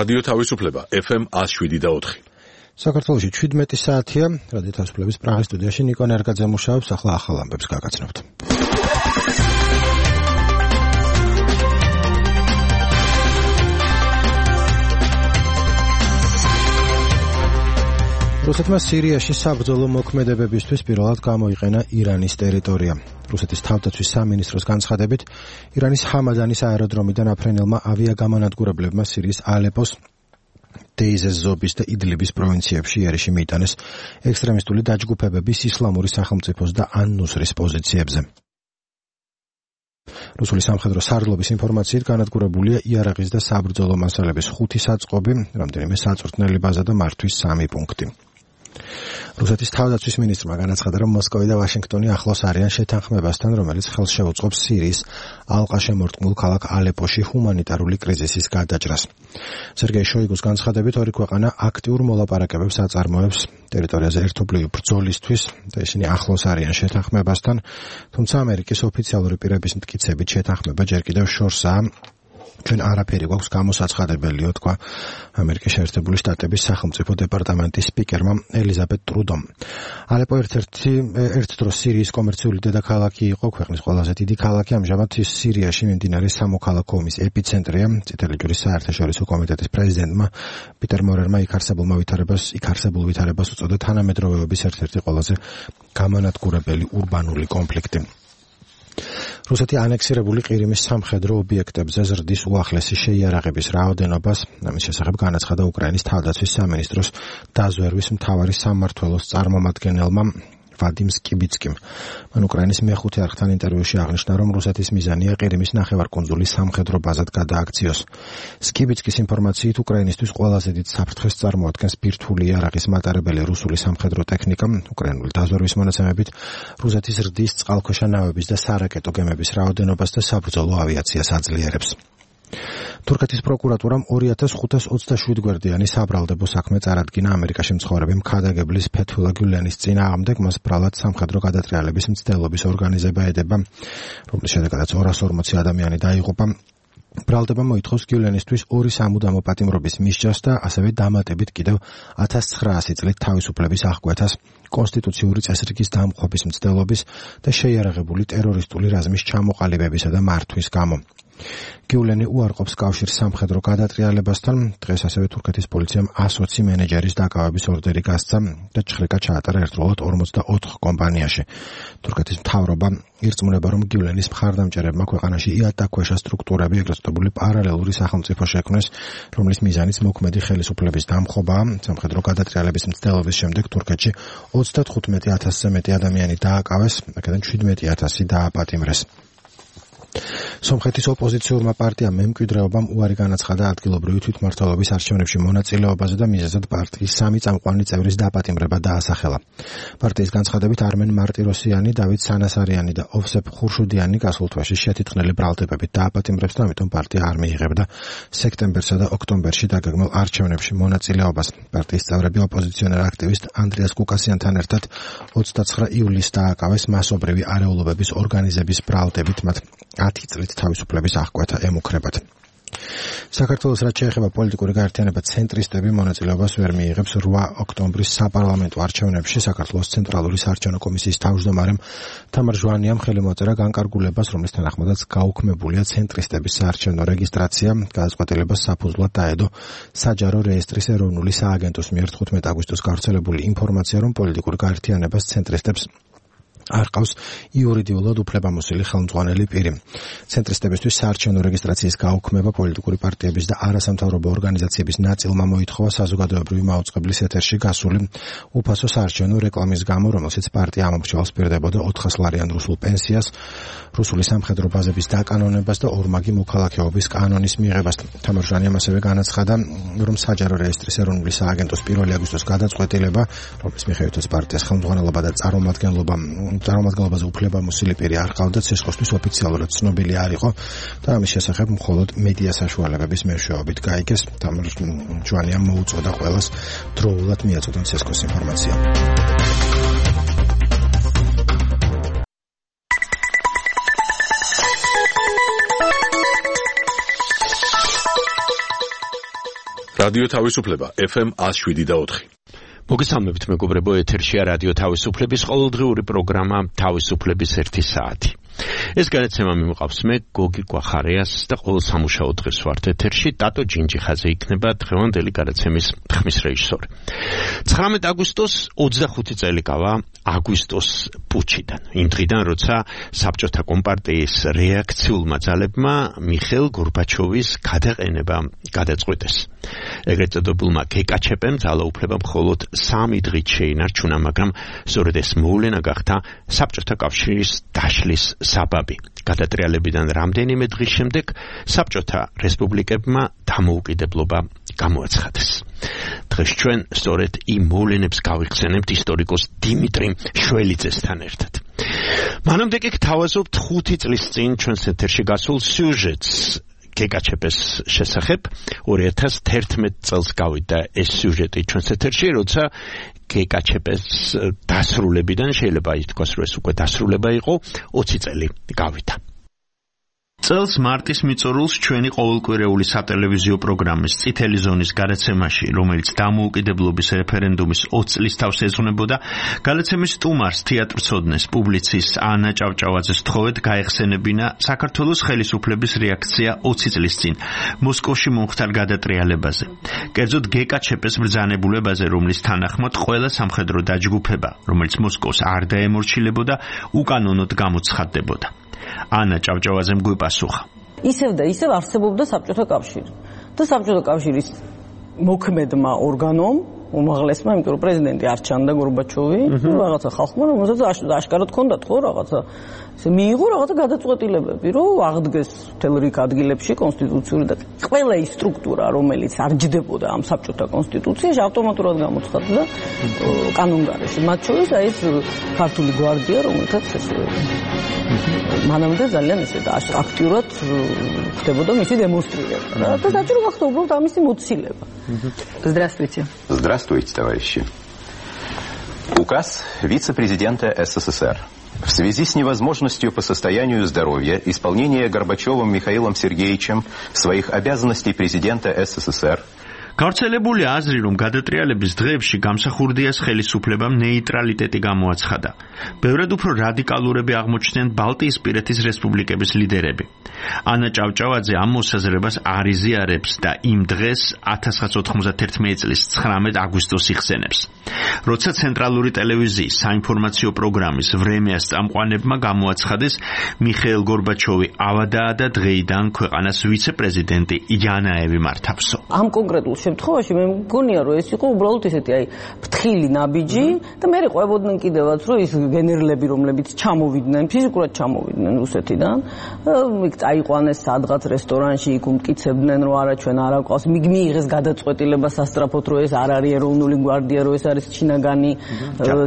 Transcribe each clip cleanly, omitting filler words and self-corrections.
რადიო თავისუფლება FM 107.4. საქართველოში 17 საათია. რადიო თავისუფლების პრაღის სტუდიაში ნიკო ნერგაძე მუშაობს. ახლა ახალ ამბებს გაგაცნობთ. რუსეთმა სირიაში საბრძოლო მოქმედებებისთვის პირველად გამოიყენა ირანის ტერიტორია. რუსეთის თავდაცვის სამინისტროს განცხადებით, ირანის ჰამადანის აეროდრომიდან აფრენელმა ავიაგამონადგურებლებმა სირიის ალეპოს, დეიზეს ზობის და იდლიბის პროვინციებში იერიში მიიტანეს ექსტრემისტული დაჯგუფებების ისლამური სახელმწიფოს და ან-ნუსრის პოზიციებზე. რუსული სამხედრო სარდლობის ინფორმაციით განადგურებულია იარაღის და საბრძოლო მასალების 5 საწყობი, რამდენიმე საწვრთნელი ბაზა და მართვის 3 პუნქტი. რუსეთის თავდაცვის მინისტრმა განაცხადა, რომ მოსკოვი და ვაშინგტონი ახლოს არიან შეთანხმებასთან, რომელიც ხელს შეუწყობს სირიის ალყაშემორტყმულ ქალაქ ალეპოში ჰუმანიტარული კრიზისის გადაჭრას. სერგეი შოიგუს განცხადებით, ორი ქვეყანა აქტიურ მოლაპარაკებებს აწარმოებს ტერიტორიაზე ერთობლივი ბრძოლისთვის და ისინი ახლოს არიან შეთანხმებასთან, თუმცა ამერიკის ოფიციალური პირების მტკიცებით შეთანხმება ჯერ კიდევ შორსაა. ჩვენ არაფერი გვაქვს გამოსაცხადებელიო, თქვა ამერიკის შეერთებული შტატების სახელმწიფო დეპარტამენტის სპიკერმა ელიზაბეთ ტრუდომ. ალეპო ერთ დროს სირიის კომერციული დედაქალაქი იყო, ქვეყნის ყველაზე დიდი ქალაქი, ამჟამად ის სირიაში მიმდინარე სამოქალაქო ომის ეპიცენტრია. წითელი ჯვრის საერთაშორისო კომიტეტის პრეზიდენტმა პიტერ მორერმა იქ არსებულ ვითარებას უწოდა თანამედროვეობის ერთ-ერთი ყველაზე გამანადგურებელი ურბანული კონფლიქტი. რუსეთი ანექსირებული ყირიმის სამხედრო ობიექტებზე ზრდის უახლესი შეიარაღების რაოდენობას. ამის შესახებ განაცხადა უკრაინის თავდაცვის სამინისტროს დაზვერვის მთავარი სამმართველოს წარმომადგენელმა ვადიმ სკიბიცკიმ. მან უკრაინის მეხუთე არხთან ინტერვიუში აღნიშნა, რომ რუსეთის მიზანია ყირიმის ნახევარკუნძული სამხედრო ბაზად გადააქციოს. სკიბიცკის ინფორმაციით, უკრაინისთვის ყველაზე დიდ საფრთხეს წარმოადგენს ბირთვული იარაღის მატარებელი რუსული სამხედრო ტექნიკა. უკრაინული დაზვერვის მონაცემებით, რუსეთი ზრდის წყალქვეშა ნავების და სარაკეტო გემების რაოდენობას და საბრძოლო ავიაციას აძლიერებს. თურქეთის პროკურატურამ 2527 გვერდიანი საბრალდებო საქმე წარადგინა ამერიკაში მცხოვრები მქადაგებლის ფეთულა გიულენის წინააღმდეგ. მას ბრალად სამხედრო გადატრიალების მცდელობის ორგანიზება ედება, რომლის შედეგადაც 240 ადამიანი დაიღუპა. ბრალდება მოითხოვს გიულენისთვის 2 სამუდამო პატიმრობის მისჯას და ასევე დამატებით კიდევ 1900 წლით თავისუფლების აღკვეთას, კონსტიტუციური წესრიგის დამხობის მცდელობის და შეიარაღებული ტერორისტული რაზმის ჩამოყალიბებისა და მართვის გამო. გიულენი უარყოფს კავშირს სამხედრო გადატრიალებასთან. დღეს ასევე თურქეთის პოლიციამ 120 მენეჯერის დაკავების ორდერი გასცა და ჭხრიკა ჩაატარა ერთდროულად 44 კომპანიაში. თურქეთის მთავრობა ირწმუნება, რომ გიულენის მხარდამჭერებმა ქვეყანაში იატაკქვეშა სტრუქტურები, ეგრეთ წოდებული პარალელური სახელმწიფო შექმნეს, რომლის მიზანიც მოქმედი ხელისუფლების დამხობაა. სამხედრო გადატრიალების მცდელობის შემდეგ თურქეთში 35000-ზე მეტი ადამიანი დააკავეს, აქედან 17000 დააპატიმრეს. სომხეთის ოპოზიციურმა პარტიამ მემკვიდრეობამ უარი განაცხადა ადგილობრივი თვითმმართველობის არჩევნებში მონაწილეობაზე და მიზეზად პარტიის 3 წამყვანი წევრის დაპატიმრება დაასახელა. პარტიის განცხადებით, არმენ მარტიროსიანი, დავით სანასარიანი და ოვსეფ ხურშუდიანი გასულ თვეში შეთითხნელი ბრალდებებით დააპატიმრებს და ამიტომ პარტია არ მიიღებდა სექტემბერსა და ოქტომბერში დაგეგმილ არჩევნებში მონაწილეობას. პარტიის წევრები ოპოზიციონერ აქტივისტ ანდრიას კუკასიანთან ერთად 29 ივლისს დააკავეს მასობრივი არეულობების ორგანიზების ბრალდებით, მათ 10 წლით თავისუფლების აღკვეთა ემუქრებათ. საქართველოს რაც შეეხება პოლიტიკური გაერთიანება ცენტრისტები მონაწილეობას ვერ მიიღებს 8 ოქტომბრის საპარლამენტო არჩევნებში. საქართველოს ცენტრალური საარჩევნო კომისიის თავმჯდომარემ თამარ ჟვანიამ ხელი მოწერა განკარგულებას, რომლის თანახმადაც გაუქმებულია ცენტრისტების საარჩევნო რეგისტრაცია. გადაწყვეტილებას საფუძვლად დაედო საჯარო რეესტრის ეროვნული სააგენტოს მიერ 15 აგვისტოს გავრცელებული ინფორმაცია, რომ პოლიტიკურ გაერთიანებას ცენტრისტებს არ ყავს იურიდიულად უფლებამოსილი ხელმძღვანელი პირი. ცენტრისტებისთვის საარჩევნო რეგისტრაციის გაუქმება პოლიტიკური პარტიების და არასამთავრობო ორგანიზაციების ნაწილმა მოითხოვა საზოგადოებრივი მაუწყებლის ეთერში გასული უფასო საარჩევნო რეკლამის გამო, რომელშიც პარტია ამომრჩევალს პირდებოდა 400 ლარიან რუსულ პენსიას, რუსული სამხედრო ბაზების დაკანონებას და ორმაგი მოქალაქეობის კანონის მიღებას. თამარ ჟვანიამ ასევე განაცხადა, რომ საჯარო რეესტრის ეროვნული სააგენტოს 1 აგვისტოს გადაწყვეტილება, რომლის მიხედვითაც პარტიას ხელმძღვანელობა და წარმომადგენლობაზე უფლებამოსილი პირი არ ყავდა, ცეცხლისთვის ოფიციალურად ცნობილი არ იყო და ამის შესახებ მხოლოდ მედია საშუალებების მეშვეობით გაიგეს. თამარ ჟვანიამ მოუწოდა ყველას დროულად მიაწოდონ ცეცხლის ინფორმაცია. რადიო თავისუფლება FM 107.4. მოგესალმებით მეგობრებო, ეთერშია რადიო თავისუფლების ყოველდღიური პროგრამა თავისუფლების 1 საათი. ეს განაცემა მიმოყავს მე გოგი გვახარიას და ყოველ სამუშაო დღეს ვართ ეთერში. ტატო ჯინჯიხაძე იქნება დღევანდელი განაცემის ხმის რეჟისორი. 19 აგვისტოს 25 წელი გავა აგვისტოს პუჩიდან. იმ დღიდან, როცა საბჭოთა კომპარტიის რეაქციულმა ძალებმა მიხეილ გორბაჩოვის გადაყენება გადაწყვეტეს. ეგრეთ წოდებულმა გეკაჩეპემ ძალაუფლება მხოლოდ 3 დღით შეინარჩუნა, მაგრამ სწორედ ეს მოვლენა გახდა საბჭოთა კავშირის დაშლის საბაბი. გადატრიალებიდან რამდენიმე დღის შემდეგ საბჭოთა რესპუბლიკებმა დამოუკიდებლობა გამოაცხადეს. დღეს ჩვენ სწორედ იმ მოვლენებს გავიხსენებთ ისტორიკოს დიმიტრი შველიძესთან ერთად. მანამდე კი გთავაზობთ 5 წლის წინ ჩვენს ეთერში გასულ სიუჟეტს გეკაჩეპეს შესახებ. 2011 წელს გავიდა ეს სიუჟეტი ჩვენს ეთერში, როცა გეკაჩეპეს დასრულებიდან შეიძლება ითქვას, რომ ეს უკვე დასრულება იყო, 20 წელი გავიდა. წელს მარტის მიწურულს ჩვენი ყოველკვირეული სატელევიზიო პროგრამის წითელი ზონის გადაცემაში, რომელიც დამოუკიდებლობის რეფერენდუმის 20 წლის თავს ეძღვნებოდა, გადაცემის სტუმარს, თეატრცოდნეს, პუბლიცისტ ანა ჭავჭავაძეს თხოვეთ გაეხსენებინა საქართველოს ხელისუფლების რეაქცია 20 წლის წინ მოსკოვში მომხდარ გადატრიალებაზე. კერძოდ გეკაჩეპეს ბრძანებულებაზე, რომლის თანახმად ყველა სამხედრო დაჯგუფება, რომელიც მოსკოვს არ დაემორჩილებოდა, უკანონოდ გამოცხადდებოდა. ანა ჭავჭავაძემ გვიპასუხა. ისევ და ისევ არსებობდა საბჭოთა კავშირი. და საბჭოთა კავშირის მოქმედმა ორგანომ, უმაღლესმა, იმიტომ რომ პრეზიდენტი არ ჩანდა გორბაჩოვი, რაღაცა ხალხმა რომელსაც აშკარად ჰქონდათ ხო რაღაცა ესე მიიღო რაღაცა გადაწყვეტილებები, რომ აღდგეს მთელ რიგ ადგილებში კონსტიტუციური და ყველა ის სტრუქტურა, რომელიც არ ჯდებოდა ამ საბჭოთა კონსტიტუციაში, ავტომატურად გამოცხადდა კანონგარეში. მათ შორის აი ეს ქართული გვარდია, რომელთაც ესე მანამდე ძალიან ესე აქტიურად ხდებოდა მისი დემონსტრირება და საჭირო გახდა უბრალოდ ამისი მოცილება. Здравствуйте. Здравствуйте, товарищи. Указ вице-президента СССР. В связи с невозможностью по состоянию здоровья исполнения Горбачевым Михаилом Сергеевичем своих обязанностей президента СССР გავრცელებული აზრი, რომ გადატრიალების დღეებში გამსახურდიას ხელისუფლებამ ნეიტრალიტეტი გამოაცხადა. ბევრად უფრო რადიკალურები აღმოჩნდნენ ბალტიისპირეთის რესპუბლიკების ლიდერები. ანა ჭავჭავაძე ამ მოსაზრებას არ იზიარებს და იმ დღეს 1991 წლის 19 აგვისტოს იხსენებს. როცა ცენტრალური ტელევიზიის საინფორმაციო პროგრამის ვრემიას წამყვანებმა გამოაცხადეს მიხეილ გორბაჩოვი ავადაა და დღეიდან ქვეყანას ვიცე-პრეზიდენტი იანაევი მართავსო. ამ კონკრეტულ შემთხვევაში მე მგონია, რომ ეს იყო უბრალოდ ესეთი აი ფრთხილი ნაბიჯი და მე ყვებოდნენ კიდევაც, რომ ის გენერლები, რომლებიც ჩამოვიდნენ, ფიზიკურად ჩამოვიდნენ რუსეთიდან, იქ წაიყვანეს სადღაც რესტორანში, იქ უმტკიცებდნენ, რომ არა ჩვენ არ აკვავს, მიიღეს გადაწყვეტილება სასტრაფოდ, რომ ეს არ არის ეროვნული გვარდია, რომ ეს არის ჩინაგანი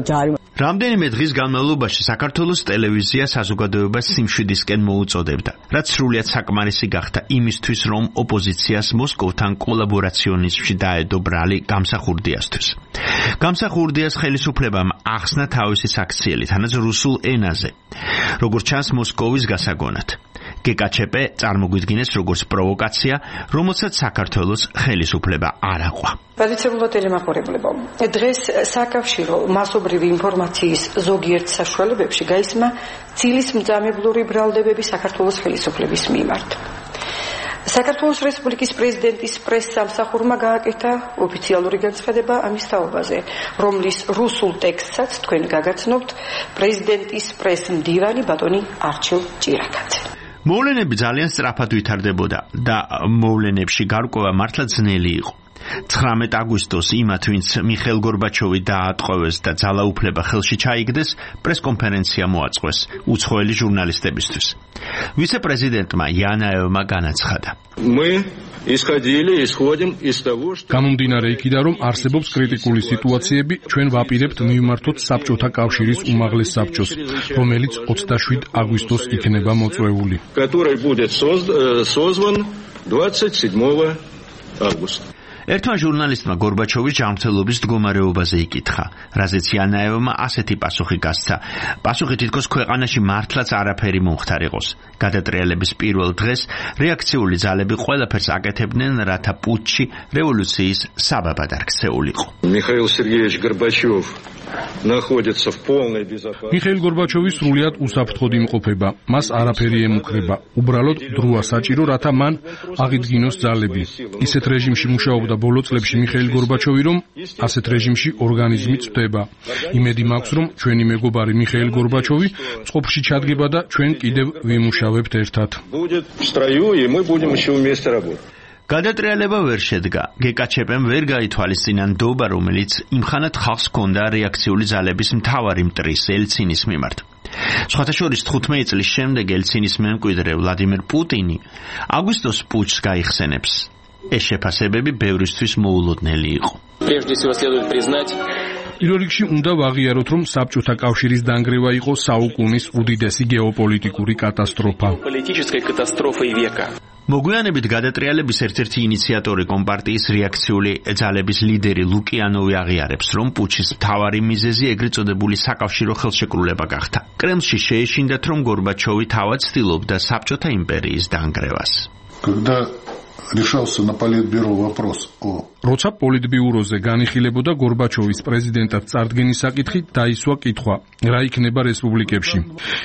ჯარი. რამდენიმე დღის განმავლობაში საქართველოს ტელევიზია საზოგადოებას სიმშვიდისკენ მოუწოდებდა, რაც სრულიად საკმარისი გახდა იმისთვის, რომ ოპოზიციას მოსკოვთან კოლაბორაციონიზმში დაედო ბრალი გამსახურდიასთვის. გამსახურდიას ხელისუფლებამ ახსნა თავისი საქციელი, თანაც რუსულ ენაზე, როგორც ჩანს მოსკოვის გასაგონად. გეკაჩეპე წარმოგვიდგინეს როგორც პროვოკაცია, რომელსაც საქართველოს ხელისუფლება არ აყვა. ვალიცებულად ელემაყურებლებო, დღეს საკავშირო მასობრივი ინფორმაციის ზოგიერთ საშუალებებში გაისმა ცილის მძამებლური ბრალდებები საქართველოს ხელისუფლების მიმართ. საქართველოს რესპუბლიკის პრეზიდენტის პრესსამსახურმა გააკეთა ოფიციალური განცხადება ამის თაობაზე, რომლის რუსულ ტექსტსაც თქვენ გაგაცნობთ პრეზიდენტის პრესმდივანი ბატონი არჩილ ჭირაკაძე. მოვლენები ძალიან სწრაფად ვითარდებოდა და მოვლენებში გარკვევა მართლა ძნელი იყო. 19 აგვისტოს იმათ, ვინც მიხეილ გორბაჩოვი დაატყვევეს და ძალაუფლება ხელში ჩაიგდეს, პრესკონფერენცია მოაწყვეს უცხოელი ჟურნალისტებისთვის. ვიცე-პრეზიდენტმა იანაევმა განაცხადა. გამომდინარე იქიდან, რომ არსებობს კრიტიკული სიტუაციები, ჩვენ ვაპირებთ მივმართოთ საბჭოთა კავშირის უმაღლეს საბჭოს, რომელიც 27 აგვისტოს იქნება მოწვეული. ერთმა ჟურნალისტმა გორბაჩოვის ჯანმრთელობის მდგომარეობაზე იკითხა, რაზეც იანაევმა ასეთი პასუხი გასცა. პასუხი თითქოს ქვეყანაში მართლაც არაფერი მომხდარიყოს. გადატრიალების პირველ დღეს რეაქციული ძალები ყველაფერს აკეთებდნენ, რათა პუტჩი რევოლუციის საბაბად არ ქცეულიყო. Михаил Сергеевич Горбачев находится в полной безопасности. მიხეილ გორბაჩოვი სრულიად უსაფრთხოდ იმყოფება. მას არაფერი ემუქრება. უბრალოდ დროა საჭირო, რათა მან აღიდგინოს ძალები. ისეთ რეჟიმში მუშაობდა ბოლო წლებში მიხეილ გორბაჩოვი, რომ ასეთ რეჟიმში ორგანიზმი წვდება. იმედი მაქვს, რომ ჩვენი მეგობარი მიხეილ გორბაჩოვი წყობში ჩადგება და ჩვენ კიდევ ვიმუშავებთ ერთად. Будет в строю, и мы будем еще вместе работать. გადატრიალება ვერ შედგა. გეკაჩეპემ ვერ გაითვალისწინა ნდობა, რომელიც იმხანად ხალხს ჰქონდა რეაქციული ძალების მთავარი მტრის ელცინის მიმართ. სხვათა შორის 15 წლის შემდეგ ელცინის მემკვიდრე ვლადიმერ პუტინი აგვისტოს პუტჩს გაიხსენებს. ეს შეფასებები ბევრისთვის მოულოდნელი იყო. პირველ რიგში უნდა ვაღიაროთ, რომ საბჭოთა კავშირის დანგრევა იყო საუკუნის უდიდესი გეოპოლიტიკური კატასტროფა. მოგვიანებით გადატრიალების ერთ-ერთი ინიციატორი კომპარტიის რეაქციული ძალების ლიდერი ლუკიანოვი აღიარებს, რომ პუტჩის მთავარი მიზეზი ეგრეთ წოდებული საკავშირო ხელშეკრულება გახდა. კრემლში შეეშინდათ, რომ გორბაჩოვი თავად ცდილობდა საბჭოთა იმპერიის დანგრევას. решался на политбюро вопрос о როცა პოლიტბიუროზე განიხილებოდა გორბაჩოვის პრეზიდენტად წარდგენის საკითხი, დაისვა კითხვა, რა იქნება რესპუბლიკებში.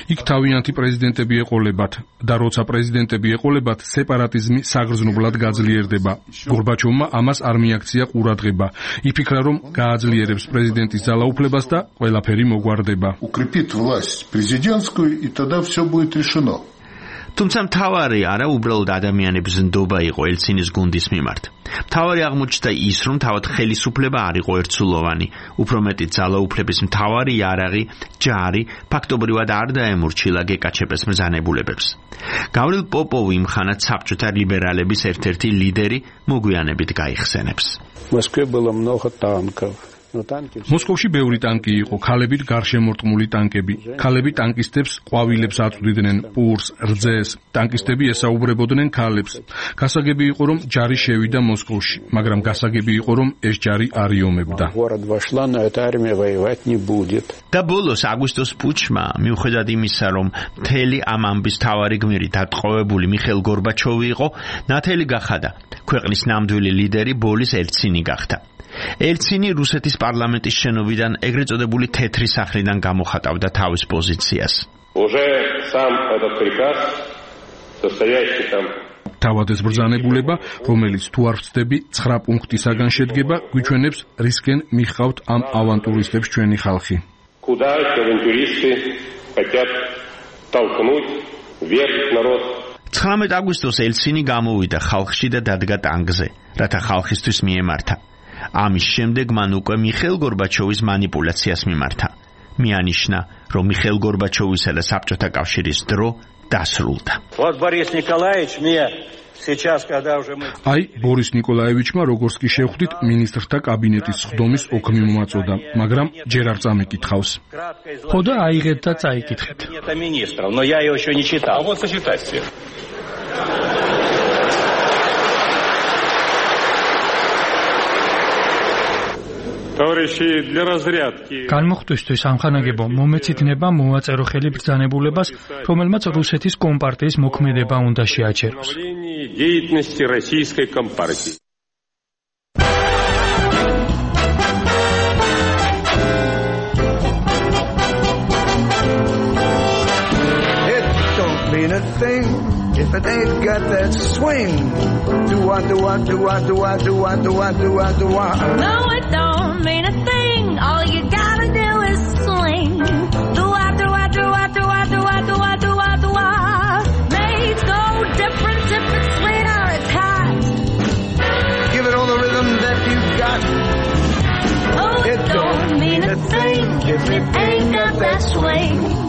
იქ თავიანთი პრეზიდენტები ეყოლებათ და როცა პრეზიდენტები ეყოლებათ, სეპარატიზმი საგრძნობლად გაძლიერდება. გორბაჩოვმა ამას არ მიაქცია ყურადღება. იფიქრა, რომ გააძლიერებს პრეზიდენტის ძალაუფლებას და ყველაფერი მოგვარდება. укрепит власть президентскую, и тогда все будет решено. თუმცა მთავარი არა უბრალოდ ადამიანების ნდობა იყო ელცინის გუნდის მიმართ. მთავარი აღმოჩნდა ის, რომ თავად ხელისუფლება არ იყო ერთსულოვანი, უფრო მეტიც ძალაუფლების მთავარი იარაღი, ჯარი, ფაქტობრივად არ დაემორჩილა გეკაჩეპეს მბრძანებულებებს. გავრილ პოპოვი იმხანად საბჭოთა ლიბერალების ერთ-ერთი ლიდერი მოგვიანებით გაიხსენებს. Москве было много танков. მოსკოვში ბევრი ტანკი იყო, ქალებით გარშემორტყმული ტანკები. ქალები ტანკისტებს ყვავილებს აწვდიდნენ, პურს, რძეს. ტანკისტები ესაუბრებოდნენ ქალებს. გასაგები იყო, რომ ჯარი შევიდა მოსკოვში, მაგრამ გასაგები იყო, რომ ეს ჯარი არ იომებდა. და ბოლოს აგვისტოს პუტჩმა, მიუხედავად იმისა, რომ მთელი ამ ამბის თავარი გმირი დატყვევებული მიხეილ გორბაჩოვი იყო, ნათელი გახადა. ქვეყნის ნამდვილი ლიდერი ბოლის ელცინი გახდა. ელცინი რუსეთის პარლამენტის შენობიდან ეგრეთ წოდებული თეთრი სახლიდან გამოხატავდა თავის პოზიციას. თავად ეს ბრძანებულება, რომელიც თუ არ ვწდები 9 პუნქტისაგან შედგება, გვიჩვენებს რისკენ მიხავთ ამ ავანტურისტებს ჩვენი ხალხი. 19 აგვისტოს ელცინი გამოვიდა ხალხში და დადგა ტანგზე, რათა ხალხისთვის მიემართა. ამის შემდეგ მან უკვე მიხეილ გორბაჩოვის მანიპულაციას მიმართა. მიანიშნა, რომ მიხეილ გორბაჩოვისა და საბჭოთა კავშირის დრო დასრულდა. აი, ბორის ნიკოლაევიჩმა, როგორც კი შევხვდით, მინისტრთა კაბინეტის სხდომის ოქმი მომაწოდა, მაგრამ ჯერ არ წამიკითხავს. ხო და აიღეთ და წაიკითხეთ. განმოხტვისთვის ამხანაგებო მომეცითნება მოვაწერო ხელი ბრძანებულებას, რომელმაც რუსეთის კომპარტიის მოქმედება უნდა შეაჩეროს. If it ain't got that swing, No, it don't mean a thing. All you gotta do is swing. Made so different if it's sweet or it's hot. Give it all the rhythm that you got. Oh, it don't mean a thing if it ain't got that swing.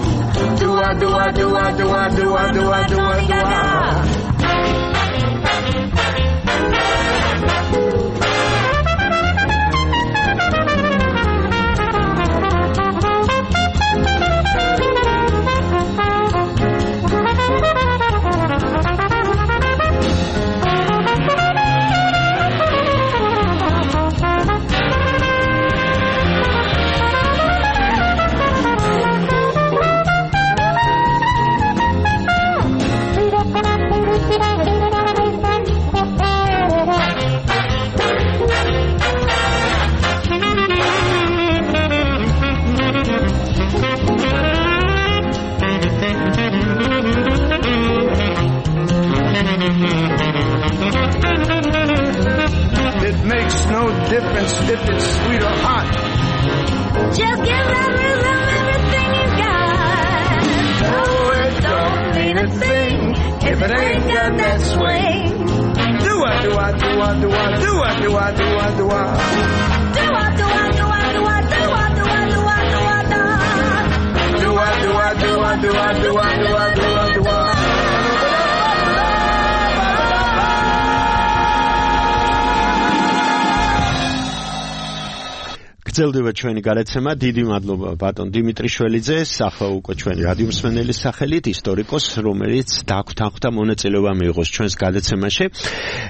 Just give everything you got. Oh, it don't mean a thing if it ain't got that swing. Do I, do I, do I, do I, do I, do I, do I, do I. Do I, do I, do I, do I, do I, do I, do I, do I, do I. Do I, do I, do I, do I, do I, do I, do I, do I. გრძელდება ჩვენი გადაცემა. დიდი მადლობა ბატონ დიმიტრი შველიძე, სახა უკვე ჩვენი რადიო მსმენელის სახელით, ისტორიკოს, რომელიც დაგვთანხმდა მონაწილეობა მიიღოს ჩვენს გადაცემაში.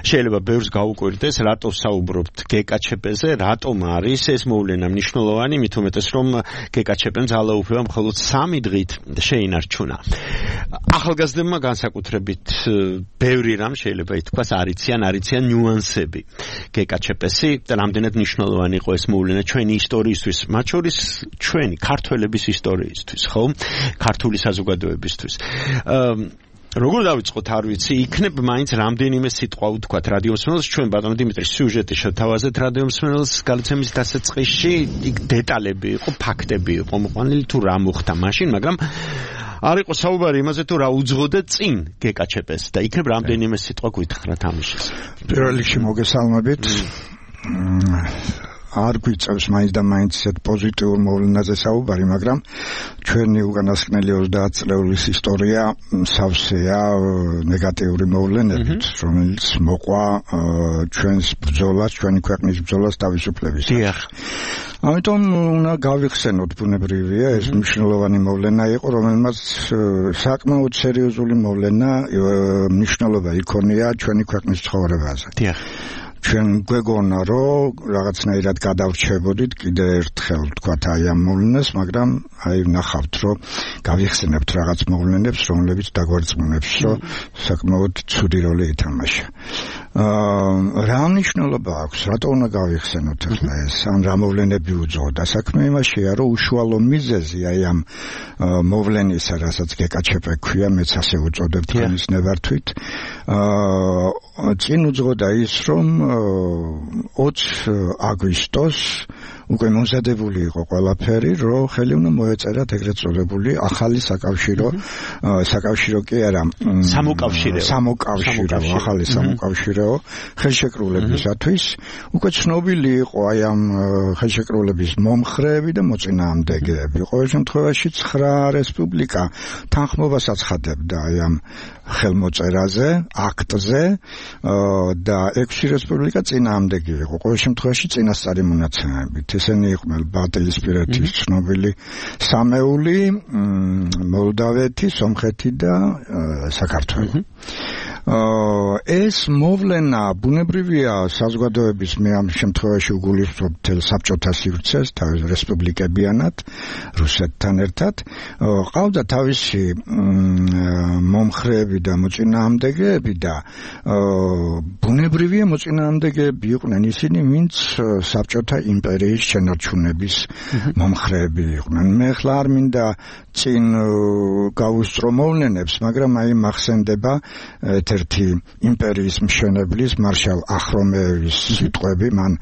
შეიძლება ბევრს გაუკვირდეს, რატო საუბრობთ გეკაჩეპეზე, რატომ არის ეს მოვლენა მნიშვნელოვანი, მით უმეტეს რომ გეკაჩეპემ ძალაუფლება მხოლოდ 3 დღით შეინარჩუნა. ახალგაზრდებმა განსაკუთრებით ბევრი რამ შეიძლება ითქვას არიციან ნიუანსები გეკაჩეპესი და რამდენად მნიშვნელოვანი იყო ეს მოვლენა ჩვენი ისტორიისთვის, მათ შორის ჩვენი ქართველების ისტორიისთვის, ხო? ქართული საზოგადოებისთვის. როგორ დავიწყოთ, არ ვიცი, იქნებ მაინც რამდენიმე სიტყვა ვთქვათ რადიო მსმენელს, ჩვენ ბატონ დიმიტრის სიუჟეტი შევთავაზეთ რადიო მსმენელს გადაცემის დასაწყისში, იქ დეტალები იყო, ფაქტები იყო მოყვანილი თუ რა მოხდა მაშინ, მაგრამ არ იყო საუბარი იმაზე თუ რა უძღოდა წინ გეკაჩეპეს და იქნებ რამდენიმე სიტყვა გვითხრათ ამის შესახებ. პირველ რიგში მოგესალმებით. არ გვიწევს მაინც და მაინც ისეთ პოზიტიურ მოვლენაზე საუბარი, მაგრამ ჩვენი უკანასკნელი 30 წლეულის ისტორია სავსეა ნეგატიური მოვლენებით, რომელიც მოყვა ჩვენს ბრძოლას, ჩვენი ქვეყნის ბრძოლას თავისუფლებისათვის. ამიტომ უნდა გავიხსენოთ, ბუნებრივია, ეს მნიშვნელოვანი მოვლენა იყო, რომელმაც საკმაოდ სერიოზული მოვლენა მნიშვნელობა იქონია ჩვენი ქვეყნის ცხოვრებაზე. ჩვენ გვეგონა, რომ რაღაცნაირად გადავრჩებოდით კიდე ერთხელ თქვათ აი ამ მოვლენას, მაგრამ აი ნახავთ, რომ გავიხსენებთ რაღაც მოვლენებს, რომლებიც დაგვარწმუნებს, რომ საკმაოდ ცუდი როლი ითამაშა. რა მნიშვნელობა აქვს, რატო უნდა გავიხსენოთ ახლა ეს, ან რა მოვლენები უძღოდა? საქმე იმაშია, რომ უშუალო მიზეზი აი ამ მოვლენისა, რასაც გეკაჩეპე ქვია, მეც ასე უწოდებ თქვენის ნებართვით, წინ უძღოდა ის, რომ 20 აგვისტოს უკვე მომზადებული იყო ყველაფერი, რომ ხელი უნდა მოეწერათ ეგრეთ წოდებული ახალი საკავშირო კი არა, სამოკავშირო, ახალი სამოკავშირო ხელშეკრულებისათვის. უკვე ცნობილი იყო აი ამ ხელშეკრულების მომხრეები და მოწინააღმდეგეები. ყოველ შემთხვევაში 9 რესპუბლიკა თანხმობას აცხადებდა აი ამ ხელმოწერაზე, აქტზე და 6 რესპუბლიკა წინააღმდეგი იყო. ყოველ შემთხვევაში წინასწარი მონაცემებით. ესენი იყვნენ ბალტიისპირეთის ცნობილი სამეული, მოლდავეთი, სომხეთი და საქართველო. ეს მოვლენა ბუნებრივია საზოგადოების მე ამ შემთხვევაში უგულისხმობ მთელ საბჭოთა სივრცეს, თავის რესპუბლიკებიანად, რუსეთთან ერთად. ყავდა თავისი მომხრეები და მოწინააღმდეგეები და ბუნებრივია მოწინააღმდეგეები იყვნენ ისინი, ვინც საბჭოთა იმპერიის შენარჩუნების მომხრეები იყვნენ. მე ხლა არ მინდა წინ გავუსწრო მოვლენებს, მაგრამ აი მახსენდება ერთ-ერთი იმპერიის მშენებლის მარშალ ახრომეევის სიტყვები, მან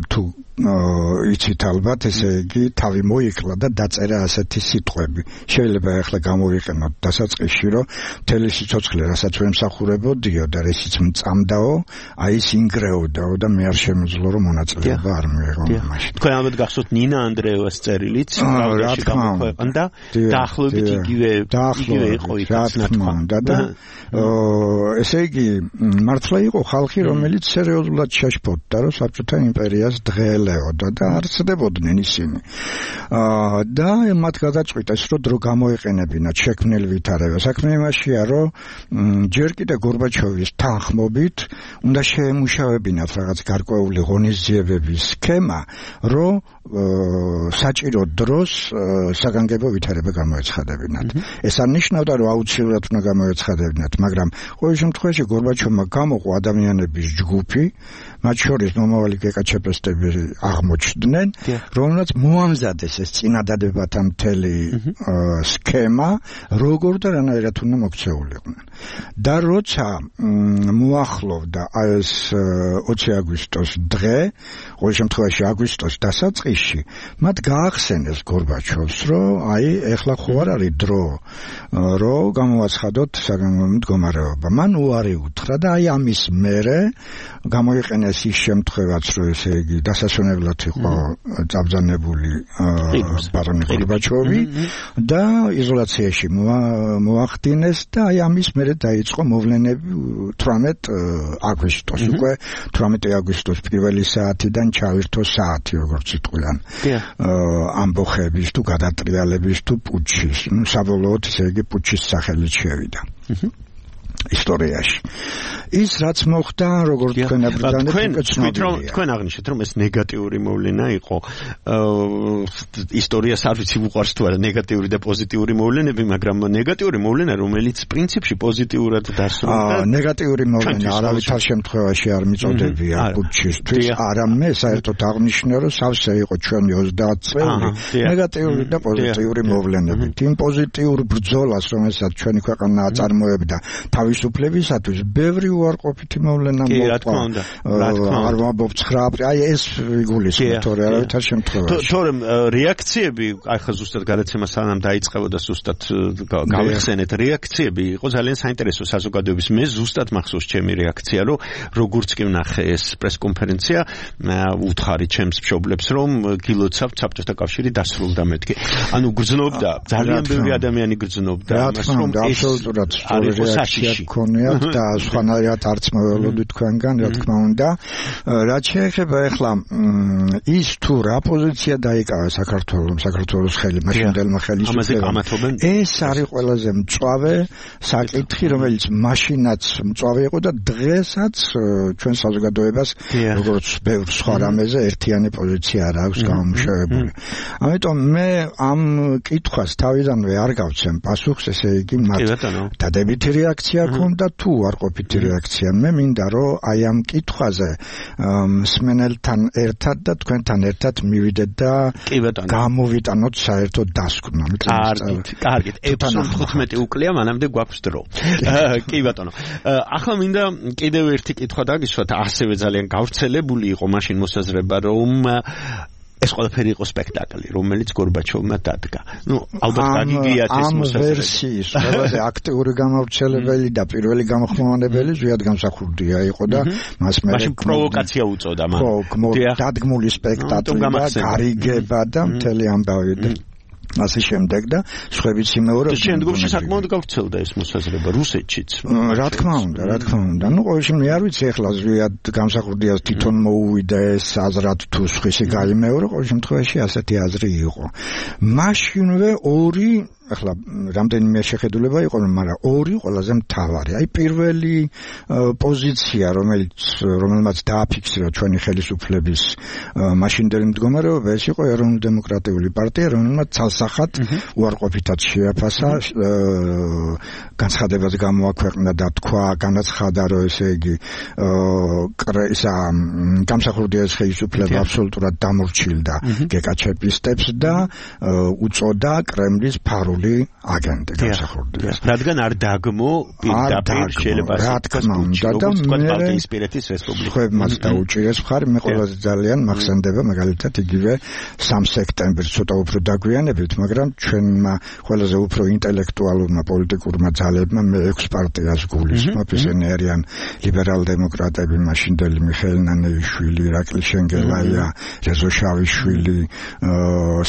თუ იცით ალბათ, ესე იგი თავი მოიკლა და დაწერა ასეთი სიტყვები. შეიძლება ახლა გამოვიყენოთ დასაწყისში, რომ მთელი სიცოცხლე, რასაც ვემსახურებოდიო და რისიც მწამდაო, აი ის ინგრეოდაო და მე არ შემიძლია რომ მონაწილეობა არ მიიღო მაშინ. თქვენ ალბათ გახსოვთ ნინა ანდრეევას წერილიც, რა თქმა უნდა, დაახლოებით იგივე იყო იქაც ნათქვამი და ესე იგი მართლა იყო ხალხი, რომელიც სერიოზულად შეშფოთდა, რომ საბჭოთა იმპერიას დღეელეოდა და არსებობდნენ ისინი. და მათ გადაწყვიტეს, რომ დრო გამოეყენებინათ შექმნილ ვითარება. საქმე იმაშია, რომ ჯერ კიდე გორბაჩოვის თანხმობით უნდა შეემუშავებინათ რაღაც გარკვეული ღონისძიებების სქემა, რომ საჭირო დროს საგანგებო ვითარება გამოეცხადებინათ. ეს არ ნიშნავდა, რომ აუცილებლად უნდა გამოეცხადებინათ, მაგრამ ყოველ შემთხვევაში გორბაჩოვმა გამოყო ადამიანების ჯგუფი, მათ შორის მომავალი გეკაჩეპესტები აღმოჩნდნენ, რომელსაც მოამზადეს ეს წინადადებათა მთელი სქემა, როგორ და რანაირად უნდა მოქცეულიყვნენ. და როცა მოახლოვდა ეს 20 აგვისტოს დღე, ყოველ შემთხვევაში აგვისტოს დასაწყისში, მათ გაახსენეს გორბაჩოვს, რომ აი ეხლა ხო არ არის დრო, რომ გამოაცხადოთ საგანგებო მდგომარეობა. მან უარი უთხრა და აი ამის მერე გამოიყენეს ის შემთხვევაც, რომ ესე იგი დასასვენებლად იყო წაბრძანებული ბარონი გორბაჩოვი და იზოლაციაში მოახდინეს და აი ამის მერე დაიწყო მოვლენები 18 აგვისტოს. უკვე 18 აგვისტოს პირველი საათიდან ჩავირთო საათი, როგორც იტყვიან. ამბოხების თუ გადატრიალების თუ პუჩის, საბოლოოდ ესე იგი პუჩის სახელით შევიდა. ისტორიაში. ის რაც მოხდა, როგორც თქვენ აბრძანებთ, თქვენ აღნიშნეთ, რომ ეს ნეგატიური მოვლენა იყო. ისტორიას არ ვიცი უყვარს თუ არა ნეგატიური და პოზიტიური მოვლენები, მაგრამ ნეგატიური მოვლენა, რომელიც პრინციპში პოზიტიურად დასრულდა. ნეგატიური მოვლენა არავითარ შემთხვევაში არ მიწოდებია პუჩისთვის, არამე საერთოდ აღნიშნე, რომ სავსე იყო ჩვენი 30 წელი ნეგატიური და პოზიტიური მოვლენებით. იმ პოზიტიურ ბრძოლას, რომელსაც ჩვენი ქვეყანა აწარმოებდა თავისუფლებისათვის, ბევრი უარყოფითი მოვლენა მოყვა. არ ვამბობ 9 აპრილს, აი ეს იგულისხმება თორე არავითარ შემთხვევაში. თორემ რეაქციები, აი ხა ზუსტად გადაცემა სანამ დაიწყებოდა, ზუსტად გავიხსენეთ, რეაქციები იყო ძალიან საინტერესო საზოგადოების. მე ზუსტად მახსოვს ჩემი რეაქცია, რომ როგორც კი ვნახე ეს პრესკონფერენცია, უთხარი ჩემს მშობლებს, რომ გილოცავთ საბჭოთა კავშირი დასრულდა მეთქი. ანუ გრძნობდა, ძალიან ბევრი ადამიანი გრძნობდა, მას რომ აბსოლუტურად სწორი რეაქცია გქონიათ და სხვანაირად არც მოველოდით თქვენგან, რა თქმა უნდა. რაც შეეხება ახლა ის თუ რა პოზიცია დაიკავა საქართველოს ხელი, მაშინდელმა ხელისუფლებამ, ეს არის ყველაზე მწვავე საკითხი, რომელიც მაშინაც მწვავე იყო და დღესაც ჩვენ საზოგადოებას, როგორც ბევრ სხვა რამეზე, ერთიანი პოზიცია არ აქვს გამომუშავებული. ამიტომ მე ამ კითხვას თავიდანვე არ გავცემ პასუხს, ესე იგი მათ დადებითი რეაქცია ქონდა თუ უარყოფითი რეაქცია. მე მინდა რომ აი ამ კითხვაზე მსმენელთან ერთად და თქვენთან ერთად მივიდეთ და გამოვიტანოთ საერთოდ დასკვნა. კარგით, 15 უკლია, მანამდე გვაქვს დრო. კი ბატონო. ახლა მინდა კიდევ ერთი კითხვა დაგისვათ, ასევე ძალიან გავრცელებული იყო მაშინ მოსაზრება, რომ ეს ყველაფერი იყო სპექტაკლი, რომელიც გორბაჩოვმა დადგა. ალბათ გაგიგიათ ეს მოსაზრება. ვერსიის ყველაზე აქტიური გამავრცელებელი და პირველი გამოხმოვანებელი ზვიად გამსახურდია იყო და მას მაშინ პროვოკაცია უწოდა მან. ხო, დადგმული სპექტაკლი და გარიგება და მთელი ამბავი და ასე შემდეგ და სხვაებიც იმეორებდნენ. შემდგომში საკმაოდ გავრცელდა ეს მოსაზრება რუსეთშიც. რა თქმა უნდა. ნუ ყოველში მე არ ვიცი ახლა ზვიად გამსახურდიას თვითონ მოუვიდა ეს აზრად თუ სხვისი გაიმეორა, ყოველ შემთხვევაში ასეთი აზრი იყო. მაშინვე ორი ახლა რამდენიმე შეხედულება იყო, მაგრამ ორი ყველაზე მთავარი. აი პირველი პოზიცია, რომელმაც დააფიქსირა ჩვენი ხელისუფლების მაშინდელი მდგომარეობა, ეს იყო ეროვნულ-დემოკრატიული პარტია, რომელმაც ცალსახად უარყოფითად შეაფასა, განცხადებას გამოაქვეყნა და თქვა, განაცხადა, რომ ესე იგი გამსახურდიას ხელისუფლება აბსოლუტურად დამორჩილდა გეკაჩეპისტებს და უწოდა კრემლის ფარული აგენტი გამსახურდიას. რადგან არ დაგმო პირდაპირ შეიძლება პარტიის რესპუბლიკა. ხებმაც დაუჭირეს მხარი, მე ყველაზე ძალიან მახსენდება მაგალითად იგივე 3 სექტემბერს ცოტა უფრო დაგვიანებით, მაგრამ ჩვენმა ყველაზე უფრო ინტელექტუალურმა პოლიტიკურმა ძალებმა მე 6 პარტიას გულისხმობ, ისინი არიან ლიბერალ-დემოკრატები, მაშინდელი მიხეილ ნანეიშვილი, ირაკლი შენგელაია, რეზო შავიშვილი,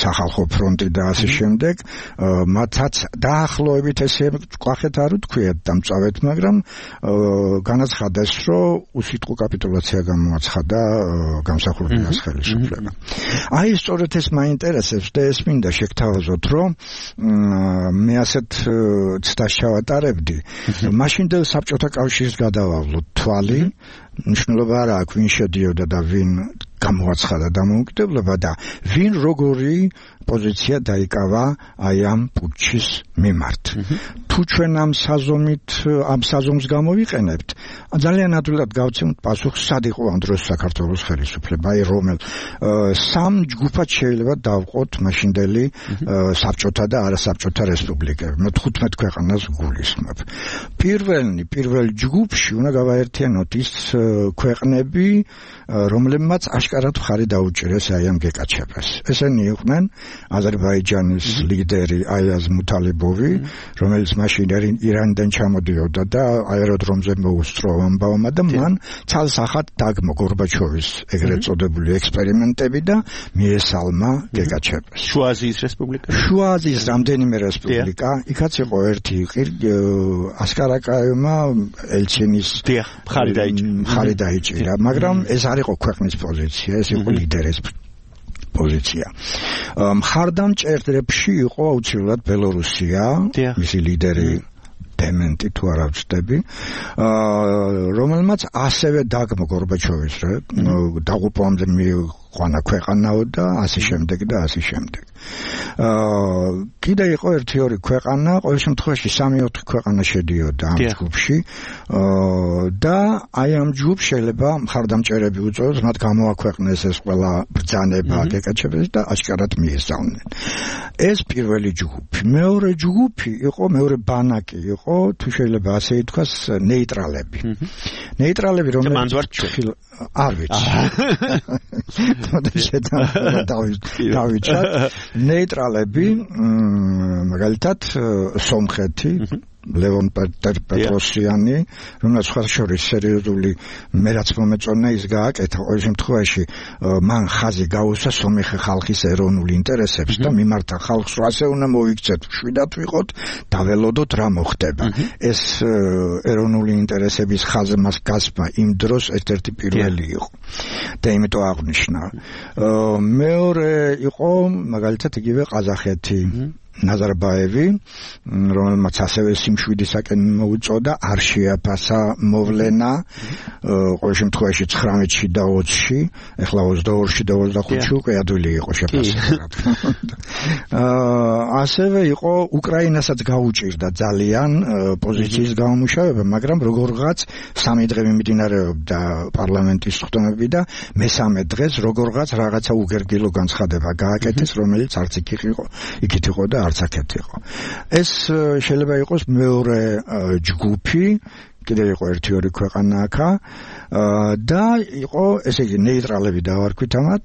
სახალხო ფრონტი და ასე შემდეგ. მათაც დაახლოებით ესე ყვახეთ არ უთქვიათ დამწავეთ, მაგრამ განაცხადეს, რომ უსიტყვო კაპიტულაცია გამოაცხადა გამსახურდიას ხელისუფლება. აი სწორედ ეს მაინტერესებს და ეს მინდა შეგთავაზოთ, რომ მე ასეთ ცდას ჩავატარებდი. მაშინდელ საბჭოთა კავშირს გადავავლოთ თვალი, მნიშვნელობა არ აქვს ვინ შედიოდა და ვინ გამოაცხადა დამოუკიდებლობა და ვინ როგორი პოზიცია დაიკავა აი ამ პუტჩის მიმართ. თუ ჩვენ ამ საზომს გამოვიყენებთ, ძალიან ადვილად გავცემთ პასუხს, სად იყო ამ დროს საქართველოს ხელისუფლება, აი რომელ სამ ჯგუფად შეიძლება დავყოთ მაშინდელი საბჭოთა და არასაბჭოთა რესპუბლიკები. მე 15 ქვეყანას გულისხმობ. პირველ ჯგუფში უნდა გავაერთიანოთ ის ქვეყნები, რომლებმაც აშკარად მხარი დაუჭირეს აი ამ გეკაჩებას. ესენი იყვნენ აზერბაიჯანის ლიდერი აიაზ მუთალიბოვი, რომელიც მაშინ ირანიდან ჩამოდიოდა და აეროდრომზე მოუსწრო ამბავმა და მან ცალსახად დაგმო გორბაჩოვის ეგრეთ წოდებული ექსპერიმენტები და მიესალმა გეკაჩებას. შუა აზიის რესპუბლიკა? შუა აზიის რამდენიმე რესპუბლიკა, იქაც იყო ერთი ასკარაკაევმა ელჩინის მხარი დაიჭირა, მაგრამ ეს არ იყო ქვეყნის პოზიცია, ეს იყო ლიდერის პოზიცია. მხარდამჭერებში იყო აუცილებლად ბელორუსია, მისი ლიდერი დემენტი თუ არ ვწდები, რომელმაც ასევე დაგმო გორბაჩოვის დაღუპვამდე მიიყვანა ქვეყანაო და ასე შემდეგ და ასე შემდეგ. კიდე იყო 1-2 ქვეყანა, ყოველ შემთხვევაში 3-4 ქვეყანა შედიოდა ამ ჯგუფში და აი ამ ჯგუფს შეიძლება მხარდამჭერები უწოდოს, მათ გამოაქვეყნეს ეს ყველა ბრძანება გეკაჩებეს და აშკარად მიესალნენ. ეს პირველი ჯგუფი. მეორე ჯგუფი იყო, მეორე ბანაკი იყო, თუ შეიძლება ასე ითქვას, ნეიტრალები. ნეიტრალები რომლებიც არ ვიცი. დავიჩათ ნეიტრალები მაგალითად სომხეთი ლევონ პეტროსიანი, რომელსაც ხარშორის სერიოზული მერაც მომეწონა ის გააკეთა, ყოველ შემთხვევაში მან ხაზი გაუსვა სომეხი ხალხის ეროვნულ ინტერესებს და მიმართა ხალხს, რომ ასე უნდა მოიქცეთ, შვიდად ვიყოთ, დაველოდოთ რა მოხდება. ეს ეროვნული ინტერესების ხაზმას გასმა იმ დროს ერთ-ერთი პირველი იყო და იმიტომ აღნიშნა. მეორე იყო მაგალითად იგივე ყაზახეთი, ნაზარბაევი, რომელმაც ასევე სიმშვიდისაკენ მოუწოდა, არ შეაფასა მოვლენა, ყოველ შემთხვევაში 19-ში და 20-ში, ეხლა 22-ში და 25-ში უკვე ადვილი იყო შეფასება. ასევე იყო უკრაინასაც გაუჭირდა ძალიან პოზიციის გამომუშავება, მაგრამ როგორღაც 3 დღე მიმდინარეობდა პარლამენტის ხდომები და მესამე დღეს როგორღაც რაღაცა უგერგილო განცხადება გააკეთეს, რომელიც არც იქით იყო და არც აქეთ იყო. ეს შეიძლება იყოს მეორე ჯგუფი, კიდევ იყო 1-2 ქვეყანა აქა და იყო ესე იგი ნეიტრალები დავარქვით ამათ,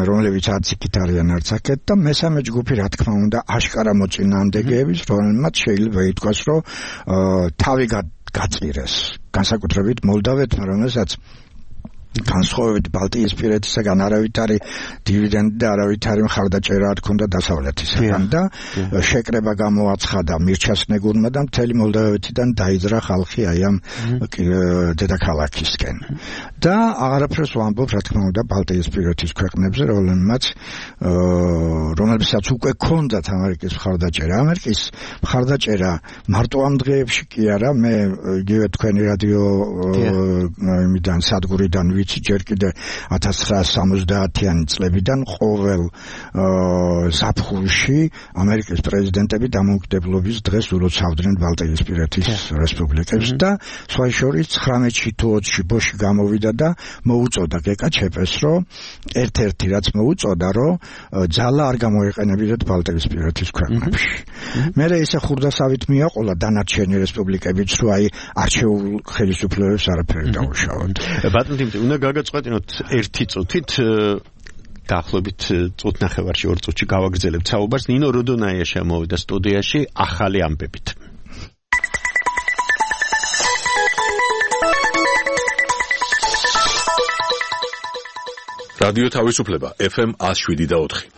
რომლებიც არც იქით არიან არც აქეთ და მესამე ჯგუფი რა თქმა უნდა აშკარა მოწინააღმდეგეების, რომელმაც შეიძლება ითქვას, რომ თავი გაწირეს, განსაკუთრებით მოლდავეთმა, რომელსაც განსხვავებით ბალტიისპირეთისაგან არავითარი დივიდენდი და არავითარი მხარდაჭერა არ ჰქონდა დასავლეთისგან და შეკრება გამოაცხადა მირჩასნეგურმა და მთელი მოლდავეთიდან დაიძრა ხალხი აი ამ დედაქალაქისკენ და აღარაფერს ვამბობ რა თქმა უნდა ბალტიისპირეთის ქვეყნებზე, რომლებსაც უკვე ჰქონდათ ამერიკის მხარდაჭერა. ამერიკის მხარდაჭერა მარტო ამ დღეებში კი არა, მე იგივე თქვენი რადიო იმიდან სადგურიდან ვიცი ჯერ კიდე 1970-იანი წლებიდან ყოველ ზაფხულში ამერიკის პრეზიდენტები დამოუკიდებლობის დღეს ულოცავდნენ ბალტიისპირეთის რესპუბლიკებს და სხვა შორის 19-ში თუ 20-ში ბოში გამოვიდა და მოუწოდა გეკაჩეპეს, რომ ერთ-ერთი რაც მოუწოდა, რომ ძალა არ გამოიყენებინათ ბალტიისპირეთის ქვეყნებში. მერე ისე ხურდასავით მიაყოლა დანარჩენი რესპუბლიკებიც, რომ აი არჩეულ ხელისუფლებებს არაფერი დაუშავოთ. ბატონო, უნდა გაგაწყვეტინოთ 1 წუთით დაახლოებით წუთნახევარში 2 წუთში გავაგრძელებთ საუბარს. ნინო როდონაია შემოვიდა სტუდიაში ახალი ამბებით. რადიო თავისუფლება FM 107.4.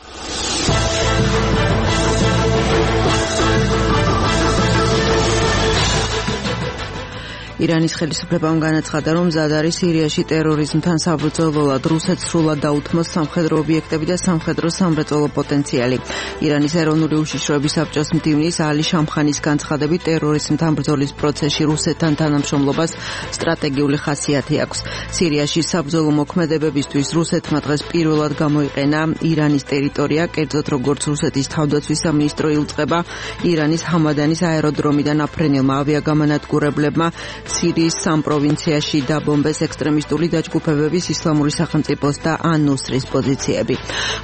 ირანის ხელისუფლებამ განაცხადა, რომ მზად არის სირიაში ტერორიზმთან საბრძოლველად რუსეთს სრულად დაუთმოს სამხედრო ობიექტები და სამხედრო სამრეწველო პოტენციალი. ირანის ეროვნული უშიშროების საბჭოს მდივნის ალი შამხანის განცხადებით, ტერორიზმთან ბრძოლის პროცესში რუსეთთან თანამშრომლობას სტრატეგიული ხასიათი აქვს. სირიაში საბრძოლო მოქმედებებისთვის რუსეთმა დღეს პირველად გამოიყენა ირანის ტერიტორია, კერძოდ როგორც რუსეთის თავდაცვის სამინისტრო იუწყება ირანის ჰამადანის აეროდრომიდან აფრენილმა ავიაგამანადგურებლებმა სირიის სამ პროვინციაში დაბომბეს ექსტრემისტული დაჯგუფებების ისლამური სახელმწიფოს და ან-ნუსრის პოზიციები.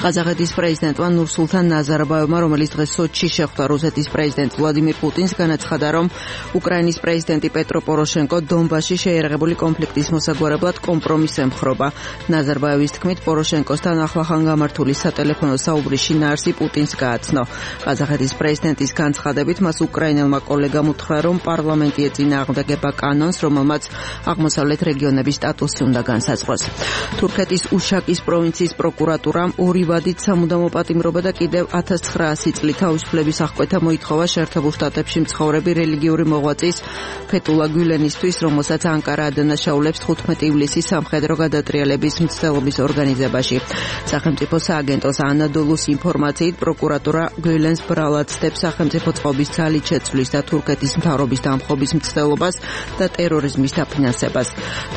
ყაზახეთის პრეზიდენტმა ნურსულთან ნაზარბაევმა, რომელიც დღეს სოჩში შეხვდა რუსეთის პრეზიდენტ ვლადიმირ პუტინს, განაცხადა, რომ უკრაინის პრეზიდენტი პეტრო პოროშენკო დონბასში შეერაღებული კონფლიქტის მოსაგვარებლად კომპრომისს ემხრობა. ნაზარბაევის თქმით, პოროშენკოსთან ახლახან გამართული სატელეფონო საუბრის შინაარსი პუტინს გააცნო. ყაზახეთის პრეზიდენტის განცხადებით, მას უკრაინელმა კოლეგამ უთხრა, რომ პარლამენტი ეწინააღმდეგება კანონს, რომელმაც აღმოსავლეთ რეგიონების სტატუსი უნდა განსაზღვროს. თურქეთის უშაკის პროვინციის პროკურატურამ ორი ვადით სამუდამო პატიმრობა და კიდევ 1900 წლით თავისუფლების აღკვეთა მოითხოვა შეერთებულ შტატებში მცხოვრები რელიგიური მოღვაწის ფეტულა გულენისთვის, რომელსაც ანკარა ადანაშაულებს 15 ივლისის სამხედრო გადატრიალების მცდელობის ორგანიზებაში. სახელმწიფო სააგენტოს ანადოლუს ინფორმაციით, პროკურატურა გულენს ბრალად ცდებს სახელმწიფო წყობის ძალით შეცვლის და თურქეთის მთავრობის დამხობის მცდელობას და ტერორიზმის დაფინანსებას.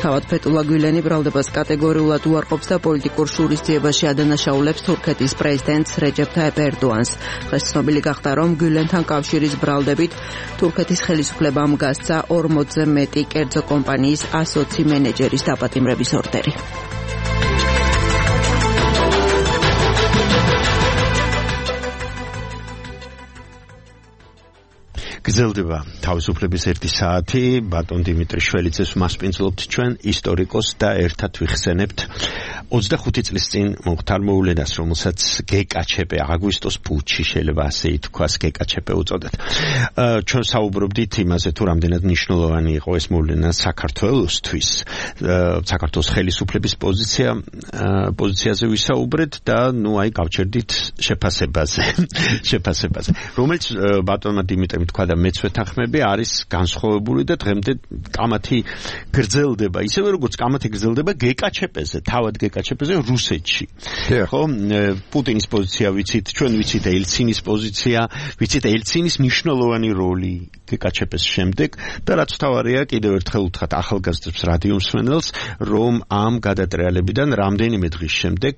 თავად ფეტულა გულენი ბრალდებას კატეგორიულად უარყოფს და პოლიტიკურ შურისძიებაში ადანაშაულებს თურქეთის პრეზიდენტს რეჯეფ თაიპ ერდოანს. დღეს ცნობილი გახდა, რომ გულენთან კავშირის ბრალდებით თურქეთის ხელისუფლებამ გასცა 40-ზე მეტი კერძო კომპანიის 120 მენეჯერის დაპატიმრების ორდერი. გრძელდება თავისუფლების 1 საათი. ბატონ დიმიტრი შველიძეს მასპინძლობთ ჩვენ ისტორიკოს და ერთად ვიხსენებთ 25 წლის წინ მომხდარ მოვლენას, რომელსაც გეკაჩეპე აგვისტოს პუჩი შეიძლება ასე ითქვას, გეკაჩეპე უწოდეთ. ჩვენ საუბრობდით იმაზე, თუ რამდენად მნიშვნელოვანი იყო ეს მოვლენა საქართველოსთვის, საქართველოს ხელისუფლების პოზიციაზე ვისაუბრეთ და ნუ აი გავჩერდით შეფასებაზე, რომელიც ბატონმა დიმიტრიმ თქვა და მეც ვეთანხმები, არის განსხვავებული და დღემდე კამათი გრძელდება, ისევე როგორც კამათი გრძელდება გეკაჩეპეზე, თავად გეკაჩეპეზე რუსეთში. ხო, პუტინის პოზიცია ვიცით, ჩვენ ვიცით ელცინის პოზიცია, ვიცით ელცინის მნიშვნელოვანი როლი გეკაჩეპეს შემდეგ და რაც თავარია, კიდევ ერთხელ ვთქვათ ახალგაზრდებს რადიო მსმენელს, რომ ამ გადატრიალებიდან რამდენიმე დღის შემდეგ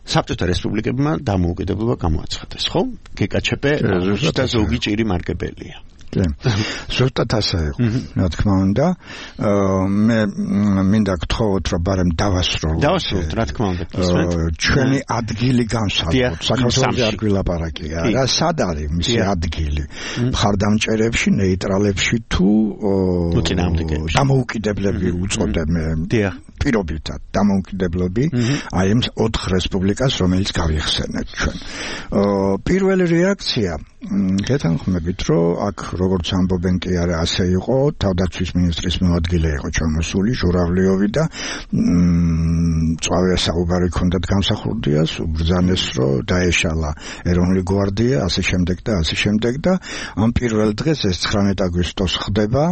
საბჭოთა რესპუბლიკებმა დამოუკიდებლობა გამოაცხადეს, ხო? გეკაჩეპე და ზოგი ჭირი მარკებელია. ზუსტად ასე იყო, რა თქმა უნდა. მე მინდა გთხოვოთ, რომ ბარემ დავასრულოთ, რა თქმა უნდა. ჩვენი ადგილი განსაზღვროთ. საქართველოს არ გვილაპარაკია. რა სად არის მისი ადგილი? მხარდამჭერებში, ნეიტრალებში თუ დამოუკიდებლები უწოდებ მე. პირობითად დამოუკიდებლები აი ამ 4 რესპუბლიკას, რომელიც გავიხსენეთ ჩვენ. პირველი რეაქცია გეთანხმებით, რომ აქ როგორც ამბობენ კი არა ასე იყო, თავდაცვის მინისტრის მოადგილე იყო ჩამოსული ჟურავლიოვი და წავია საუბარი ჰქონდათ გამსახურდიას, უბრძანეს, რომ დაეშალა ეროვნული გვარდია, ასე შემდეგ და ამ პირველ დღეს ეს 19 აგვისტოს ხდება,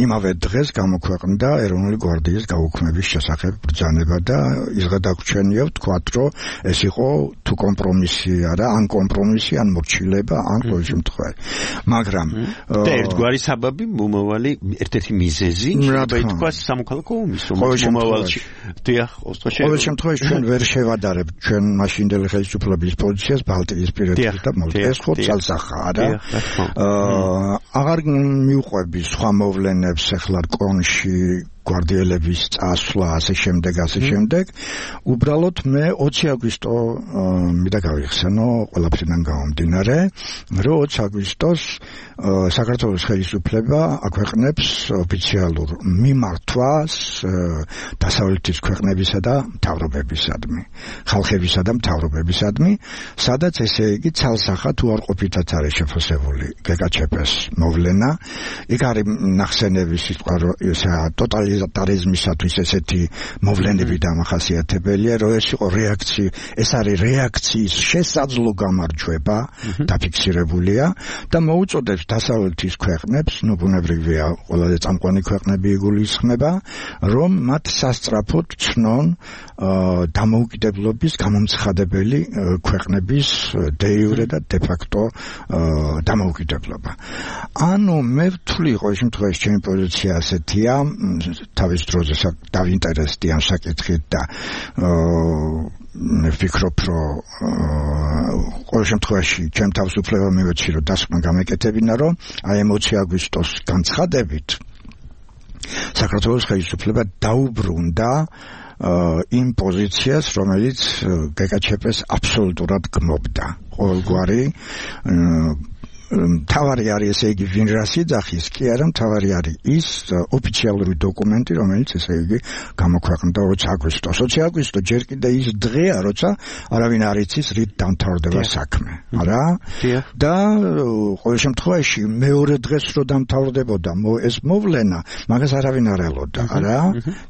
იმავე დღეს გამოქვეყნდა ეროვნული გვარდიის გაუქმების შესახებ ბრძანება და ის გადაგვრჩენია, ვთქვათ, რომ ეს იყო თუ კომპრომისი არა, ან კომპრომისი, ან მორჩილება, ან ყოველ შემთხვევაში. მაგრამ და ერთგვარი საბაბი მომავალი ერთ-ერთი მიზეზი შეიძლება ითქვას სამოქალაქო ომის, რომელიც მომავალში ყოველ შემთხვევაში ჩვენ ვერ შევადარებთ ჩვენ მაშინდელი ხელისუფლების პოზიციას ბალტიისპირეთის და ეს ხო ძალსახა არა. აღარ მიუყვები სხვა მოვლენებს ახლა კონში გვარდიელების წასვლა, ასე შემდეგ. უბრალოდ მე 20 აგვისტო მინდა გავიხსენო ყველაფრიდან გამომდინარე, რომ 20 აგვისტოს საქართველოს ხელისუფლება აქვეყნებს ოფიციალურ მიმართვას დასავლეთის ქვეყნებისა და მთავრობებისადმი, ხალხებისა და მთავრობებისადმი, სადაც ესე იგი ცალსახად უარყოფითაც არის შეფასებული გეკაჩეპეს მოვლენა. იქ არის ნახსენების სიტყვა, რომ ტოტალიტარიზმისათვის ესეთი მოვლენები დამახასიათებელია, რომ ეს იყო რეაქცია, ეს არის რეაქციის შესაძლო გამარჯვება დაფიქსირებულია და მოუწოდებს დასავლეთის ქვეყნებს, ბუნებრივია, ყველაზე წამყვანი ქვეყნები იგულისხმება, რომ მათ სასწრაფოდ ცნონ დამოუკიდებლობის გამომცხადებელი ქვეყნების de jure და de facto დამოუკიდებლობა. ანუ მე ვთვლი ყოველ შემთხვევაში ჩემი პოზიცია ასეთია, თავის დროზე დავინტერესდი ამ საკითხით და მე ვფიქრობ, რომ ყოველ შემთხვევაში ჩემ თავისუფლება მივეცი, რომ დასკვნა გამეკეთებინა, რომ აი 20 აგვისტოს განცხადებით საქართველოს ხელისუფლება დაუბრუნდა იმ პოზიციას, რომელიც გეკაჩეპეს აბსოლუტურად გმობდა. ყოველგვარი თავარი არის, ესე იგი, ვინ რას იძახის, კი არა, თავარი არის ის ოფიციალური დოკუმენტი, რომელიც ესე იგი გამოქვეყნდა 20 აგვისტოს. 20 აგვისტო ჯერ კიდე ის დღეა, როცა არავინ არ იცის რით დამთავრდება საქმე. არა? და ყოველ შემთხვევაში მეორე დღეს რო დამთავრდებოდა ეს მოვლენა, მაგას არავინ არ ელოდა. არა?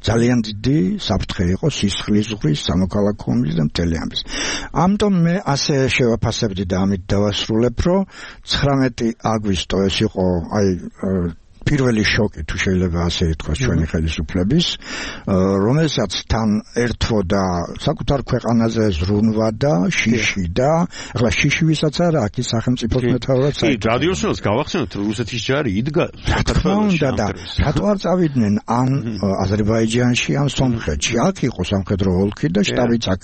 ძალიან დიდი საფრთხე იყო სისხლის ზღვრის, სამოქალაქო ომის და მთელი ამის. ამიტომ მე ასე შევაფასებდი და ამით დავასრულებ, რომ 19 აგვისტო ეს იყო აი პირველი შოკი, თუ შეიძლება ასე ითქვას, ჩვენი ხელისუფლების, რომელსაც თან ერთვოდა საკუთარ ქვეყანაზე ზრუნვა და შიში და ახლა შიში ვისაც არა, აქ ის სახელმწიფოს მეთაურად კი, რადიოსნელს გავახსენოთ, რუსეთის ჯარი იდგა საქართველოში და რატო არ წავიდნენ ან აზერბაიჯანში, ან სომხეთში? აქ იყო სამხედრო ოლქი და შტაბიც აქ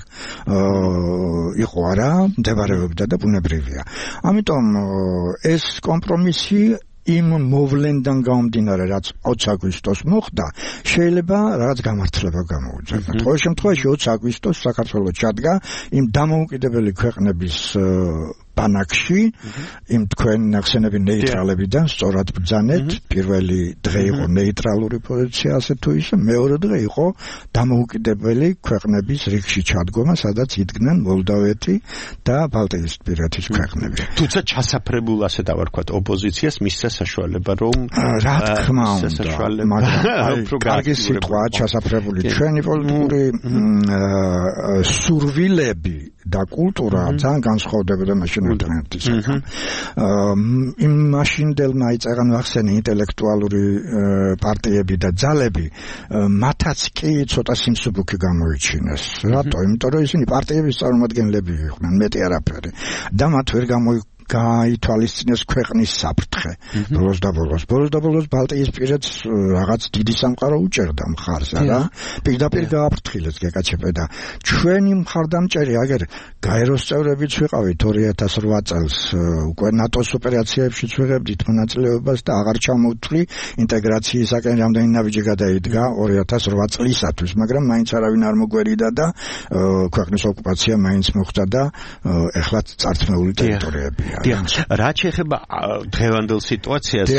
იყო, არა, მდებარეობდა და ბუნებრივია. ამიტომ ეს კომპრომისი იმ მოვლენიდან გამომდინარე, რაც 20 აგვისტოს მოხდა, შეიძლება რაღაც გამართლება გამოუძებნა. ყოველ შემთხვევაში 20 აგვისტოს საქართველოს ჩადგა იმ დამოუკიდებელი ქვეყნების ბანაკში, იმ თქვენ ახსენები ნეიტრალებიდან სწორად ბრძანეთ, პირველი დღე იყო ნეიტრალური პოზიცია, ასე თუ ისე, მეორე დღე იყო დამოუკიდებელი ქვეყნების რიგში ჩადგომა, სადაც იდგნენ მოლდოვეთი და ბალტიისპირეთის ქვეყნები. თუმცა ჩასაფრებულ, ასე დავარქვათ, ოპოზიციას მისცა საშუალება, რომ რა თქმა უნდა, მაგრამ კარგი სიტყვაა ჩასაფრებული. ჩვენი პოლიტიკური სურვილები და კულტურა ძალიან განსხვავდებოდა მაშინ ერთმანეთისგან. იმ მაშინდელმა იწერან ვახსენე ინტელექტუალური პარტიები და ძალები, მათაც კი ცოტა სიმსუბუქი გამოიჩინეს. რატო? იმიტომ რომ ისინი პარტიების წარმომადგენლები იყვნენ, მეტი არაფერი. და მათ ვერ გაითვალისწინეს ქვეყნის საფრთხე. ბოლოს და ბოლოს ბალტიისპირეთს რაღაც დიდი სამყარო უჭერდა მხარს, არა? პირდაპირ გააფრთხილეს გეკაჩეპე და ჩვენი მხარდამჭერი აგერ გაეროს წევრებიც ვიყავით 2008 წელს, უკვე ნატოს ოპერაციებშიც ვიღებდით მონაწილეობას და აღარ ჩამოვთვლი ინტეგრაციისაკენ რამდენი ნაბიჯი გადაიდგა 2008 წლისათვის, მაგრამ მაინც არავინ არ მოგვერიდა და ქვეყნის ოკუპაცია მაინც მოხდა და ეხლა წარწმეული ტერიტორიებია. რა შეეხება დღევანდელ სიტუაციას,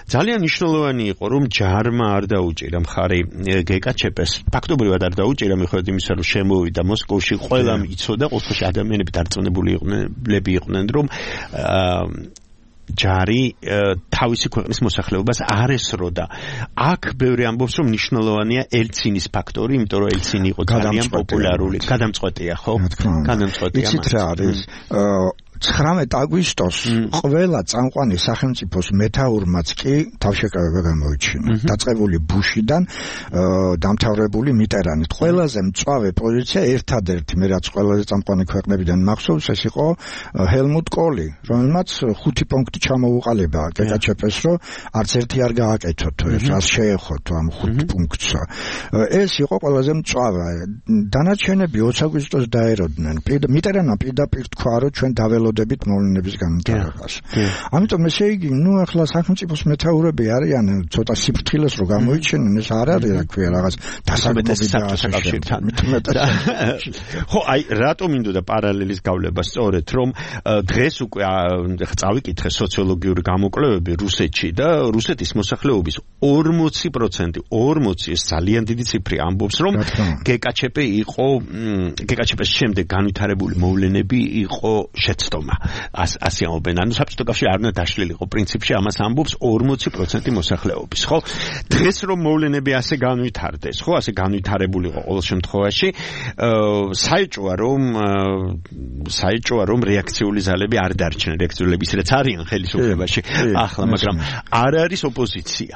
ძალიან მნიშვნელოვანი იყო, რომ ჯარმა არ დაუჭირა მხარი გეკაჩეპეს. ფაქტობრივად არ დაუჭირა, მიუხედავად იმისა, რომ შემოვიდა მოსკოვში, ყველამ იცოდა, ყოველთვის ადამიანები დარწმუნებული იყვნენ, რომ ჯარი თავისი ქვეყნის მოსახლეობას არ ესროდა. აქ ბევრი ამბობს, რომ მნიშვნელოვანია ელცინის ფაქტორი, იმიტომ რომ ელცინი იყო ძალიან პოპულარული. გადამწყვეტია, ხო? გადამწყვეტია. იცით რა არის? 19 აგვისტოს ყველა წამყვანი სახელმწიფოს მეთაურმაც კი თავშეკავება გამოიჩინა. დაწყებული ბუშიდან დამთავრებული მიტერანით. ყველაზე მწვავე პოზიცია ერთადერთი, მე რაც ყველაზე წამყვანი ქვეყნებიდან მახსოვს, ეს იყო ჰელმუტ კოლი, რომელმაც 5 პუნქტი ჩამოუყალიბა გეკაჩეპეს, რომ არც ერთი არ გააკეთოთ, რას შეეხოთ ამ 5 პუნქტს. ეს იყო ყველაზე მწვავე. დანარჩენები 20 აგვისტოს დაეროდნენ. მიტერანმა პირდაპირ თქვა, რომ ჩვენ დაველოდებით მოვლენების განვითარებას. ამიტომ ესე იგი, ახლა სახელმწიფოს მეთაურები არიან, ცოტა სიფრთხილეს რო გამოიჩენენ, ეს არ არის, რა ქვია, რაღაც დასაბუთების კავშირთან. ხო, აი, რატომ მინდოდა პარალელის გავლება სწორედ, რომ დღეს უკვე წავიკითხე სოციოლოგიური გამოკვლევები რუსეთში და რუსეთის მოსახლეობის 40%, 40 ეს ძალიან დიდი ციფრი ამბობს, რომ გეკაჩეპეს შემდეგ განვითარებული მოვლენები იყო შეცდომი. მიწომა. ასე ამბობენ. ანუ საბჭოთა კავშირი არ უნდა დაშლილიყო პრინციპში ამას ამბობს 40% მოსახლეობის, ხო? დღეს რომ მოვლენები ასე განვითარდეს, ხო? ასე განვითარებულიყო ყოველ შემთხვევაში, საეჭვოა რომ რეაქციული ძალები არ დარჩნენ, რეაქციული ისედაც არიან ხელისუფლებაში ახლა, მაგრამ არ არის ოპოზიცია.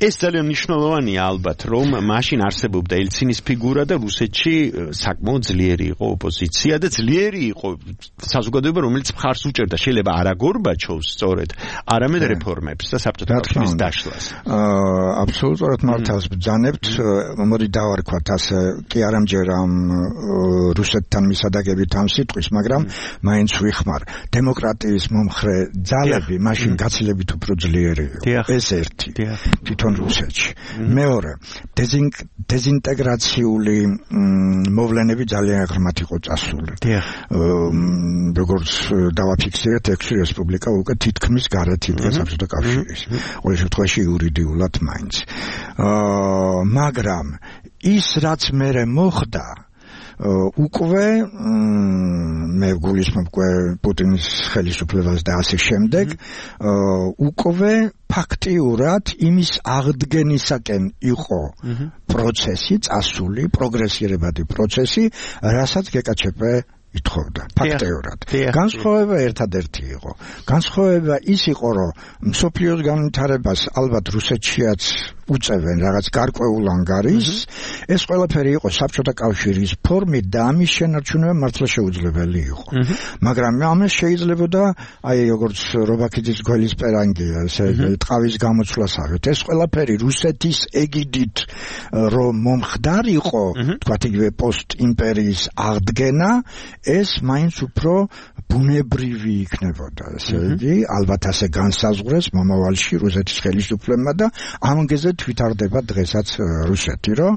ეს ძალიან მნიშვნელოვანია ალბათ, რომ მაშინ არსებობდა ელცინის ფიგურა და რუსეთში საკმაოდ ძლიერი იყო ოპოზიცია და ძლიერი იყო საზოგადოება, რომელიც მხარს უჭერდა შეიძლება არა გორბაჩოვს სწორედ, არამედ რეფორმებს და საბჭოთა კავშირის დაშლას. აბსოლუტურად მართავს ბრძანებთ, მოდი დავარქვათ ასე, კი არ ამჯერ ამ რუსეთთან მისადაგებით ამ სიტყვის, მაგრამ მაინც ვიხმარ, დემოკრატიის მომხრე ძალები მაშინ გაცილებით უფრო ძლიერი იყო. ეს ერთი თვითონ რუსეთში. მეორე, დეზინტეგრაციული მოვლენები ძალიან ღრმად იყო წასული. როგორც დავაფიქსირეთ, 6 რესპუბლიკა უკვე თითქმის გარეთ იდგა საბჭოთა კავშირის. ყოველ შემთხვევაში იურიდიულად მაინც. მაგრამ ის რაც მერე მოხდა უკვე მე გულისხმობ პუტინის ხელისუფლებას და ასე შემდეგ უკვე ფაქტიურად იმის აღდგენისაკენ იყო პროცესი წასული, პროგრესირებადი პროცესი, რასაც გეკაჩეპე ითხოვდა ფაქტიურად. განსხვავება ერთადერთი იყო. განსხვავება ის იყო, რომ მსოფლიოს განვითარებას ალბათ რუსეთშიაც უწევენ რაღაც გარკვეულ ანგარიშს, ეს ყველაფერი იყო საბჭოთა კავშირის ფორმით და ამის შენარჩუნება მართლა შეუძლებელი იყო. მაგრამ ამას შეიძლებოდა, აი როგორც რობაქიძის გველის პერანგია, ესე ტყავის გამოცვლასავით, ეს ყველაფერი რუსეთის ეგიდით რომ მომხდარიყო, თქვათ იგივე პოსტ-იმპერიის აღდგენა, ეს მაინც უფრო ბუნებრივი იქნებოდა, ესე იგი, ალბათ ასე განსაზღვრეს მომავალში რუსეთის ხელისუფლებმა და ამგეზე თვითარდება დღესაც რუსეთი, რომ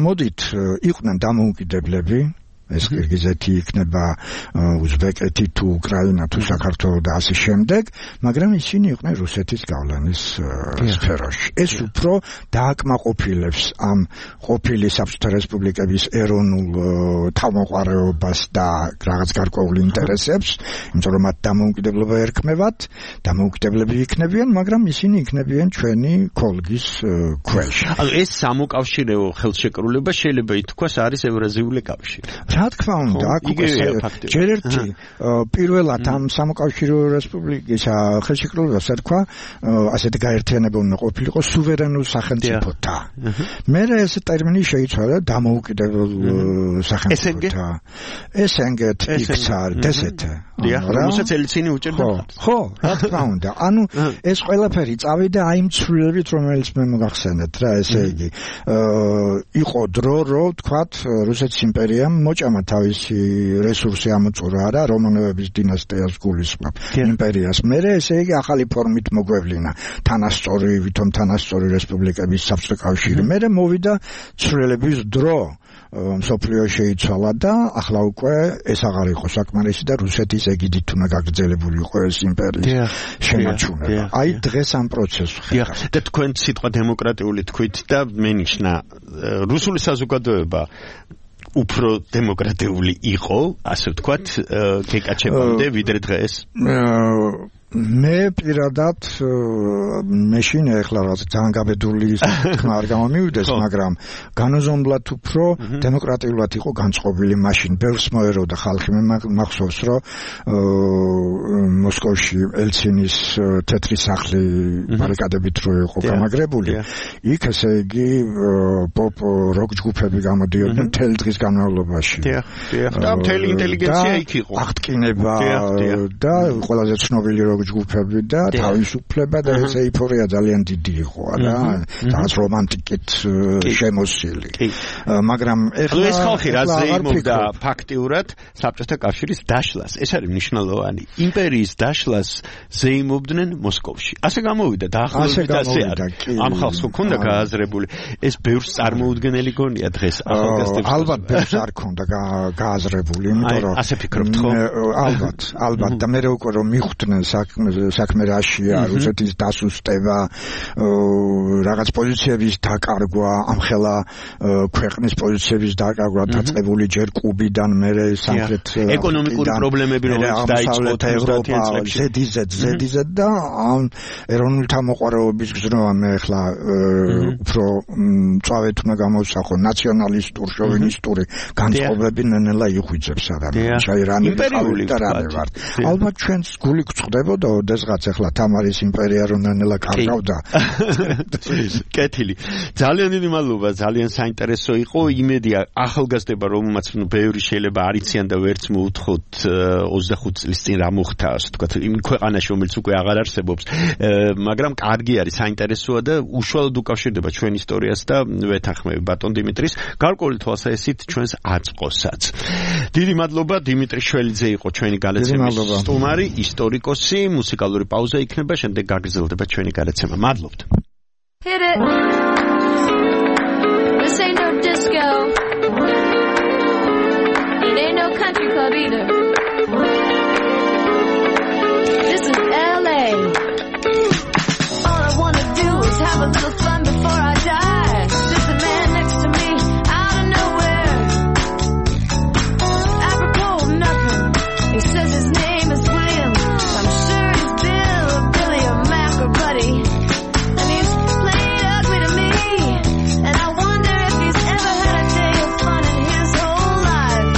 მოდით იყვნენ დამოუკიდებლები, ეს კირგიზეთი იქნება უზბეკეთი თუ უკრაინა თუ საქართველო და ასე შემდეგ, მაგრამ ისინი იყვნენ რუსეთის გავლენის სფეროში. ეს უფრო დააკმაყოფილებს ამ ყოფილი საბჭოთა რესპუბლიკების ეროვნულ თავმოყარეობას და რაღაც გარკვეულ ინტერესებს, იმიტომ რომ მათ დამოუკიდებლობა ერქმევათ, დამოუკიდებლები იქნებიან, მაგრამ ისინი იქნებიან ჩვენი ქოლგის ქვეშ. ანუ ეს სამოკავშირეო ხელშეკრულება შეიძლება ითქვას არის ევრაზიული კავშირი. რა თქმა უნდა, აქ უკვე ჯერ ერთი პირველად ამ სამოკავშირეო რესპუბლიკის ხელშეკრულებას თქვა, ასეთი გაერთიანება უნდა ყოფილიყო სუვერენულ სახელმწიფოთა. მერე ეს ტერმინი შეიცვალა დამოუკიდებელ სახელმწიფოთა. ესენგეთ იქცა დსთ. რომელსაც ელცინი უჭერდა. ხო, რა თქმა უნდა. ანუ ეს ყველაფერი წავიდა აი იმ ცვლილებით, რომელიც მე მოგახსენეთ რა, ესე იგი, იყო დრო, რომ თქვათ რუსეთის იმპერიამ მოჭამა თავისი რესურსი ამოწურა რა, რომანოვების დინასტიას გულისხმობ იმპერიას. მერე ესე იგი ახალი ფორმით მოგვევლინა თანასწორი, ვითომ თანასწორი რესპუბლიკების საბჭოთა კავშირი. მერე მოვიდა ცვლილების დრო. მსოფლიო შეიცვალა და ახლა უკვე ეს აღარ იყო საკმარისი და რუსეთის ეგიდით უნდა გაგრძელებული იყო ეს იმპერიის შენარჩუნება. აი დღეს ამ პროცესს ხედავთ. და თქვენ სიტყვა დემოკრატიული თქვით და მენიშნა რუსული საზოგადოება უფრო დემოკრატიული იყო, ასე ვთქვათ, გეკაჩებამდე ვიდრე დღეს. მე პირადად მეშინ ეხლა რაღაც ძალიან გაბედული თქმა არ გამომივიდეს, მაგრამ განუზომლად უფრო დემოკრატიულად იყო განწყობილი მაშინ. ბევრს მოეროდა ხალხი, მე მახსოვს, რომ მოსკოვში ელცინის თეთრი სახლი ბარიკადებით რო იყო გამაგრებული, იქ ესე იგი პოპ როკ ჯგუფები გამოდიოდნენ მთელი დღის განმავლობაში. და მთელი ინტელიგენცია იქ იყო. აღტკინება და ყველაზე ცნობილი ჯგუფები და თავისუფლება და ეს ეიფორია ძალიან დიდი იყო რა, რაღაც რომანტიკით შემოსილი. მაგრამ ეხლა ეს ხალხი რა ზეიმობდა ფაქტიურად საბჭოთა კავშირის დაშლას. ეს არის მნიშვნელოვანი. იმპერიის დაშლას ზეიმობდნენ მოსკოვში. ასე გამოვიდა და ახლობით ასე არის. ამ ხალხს ჰქონდა გააზრებული. ეს ბევრს წარმოუდგენელი გონია დღეს ახალგაზრდებს. ალბათ ბევრს არ ჰქონდა გააზრებული, იმიტომ რომ ასე ფიქრობთ ხო? ალბათ და მე უკვე რომ მიხვდნენ საქმე რაშია, რუსეთის დასუსტება, რაღაც პოზიციების დაკარგვა, ამხელა ქვეყნის პოზიციების დაკარგვა დაწყებული ჯერ კუბიდან მერე სამხრეთ ეკონომიკური პრობლემები რომელიც დაიწყო ევროპა ზედიზედ და ამ ეროვნული თამოყვარეობის გზნობა მე ახლა უფრო წავედ უნდა გამოვსახო ნაციონალისტურ შოვინისტური განწყობები ნენელა იხვიძებს ადამიანს ჩაირანი და რამე ვარ ალბათ ჩვენს გული გწდებოდა ოდესღაც ახლა თამარის იმპერია რომ ნენელა კარგავდა კეთილი ძალიან დიდი მადლობა ძალიან საინტერესო იყო იმედია ახალგაზრდება რომელმაც ბევრი შეიძლება არ იციან და ვერც მოუთხოთ 25 წლის წინ რა მოხდა ასე ვთქვათ იმ ქვეყანაში რომელიც უკვე აღარ არსებობს მაგრამ კარგი არის საინტერესოა და უშუალოდ უკავშირდება ჩვენ ისტორიას და ვეთანხმები ბატონ დიმიტრის გარკვეული თვალსაზრისით ჩვენს აწყოსაც დიდი მადლობა დიმიტრი შველიძე იყო ჩვენი გადაცემის სტუმარი ისტორიკოსი მუსიკალური პაუზა იქნება შემდეგ გაგრძელდება ჩვენი გადაცემა მადლობთ Hit it. This ain't no disco. It ain't no country club either. This is LA. All I wanna do is have a little fun before I die. There's a man next to me out of nowhere. Apropos of nothing. He says his name is William. I'm sure he's Bill, Billy, or Mac or Buddy. And I wonder if he's ever had a day of fun in his whole life.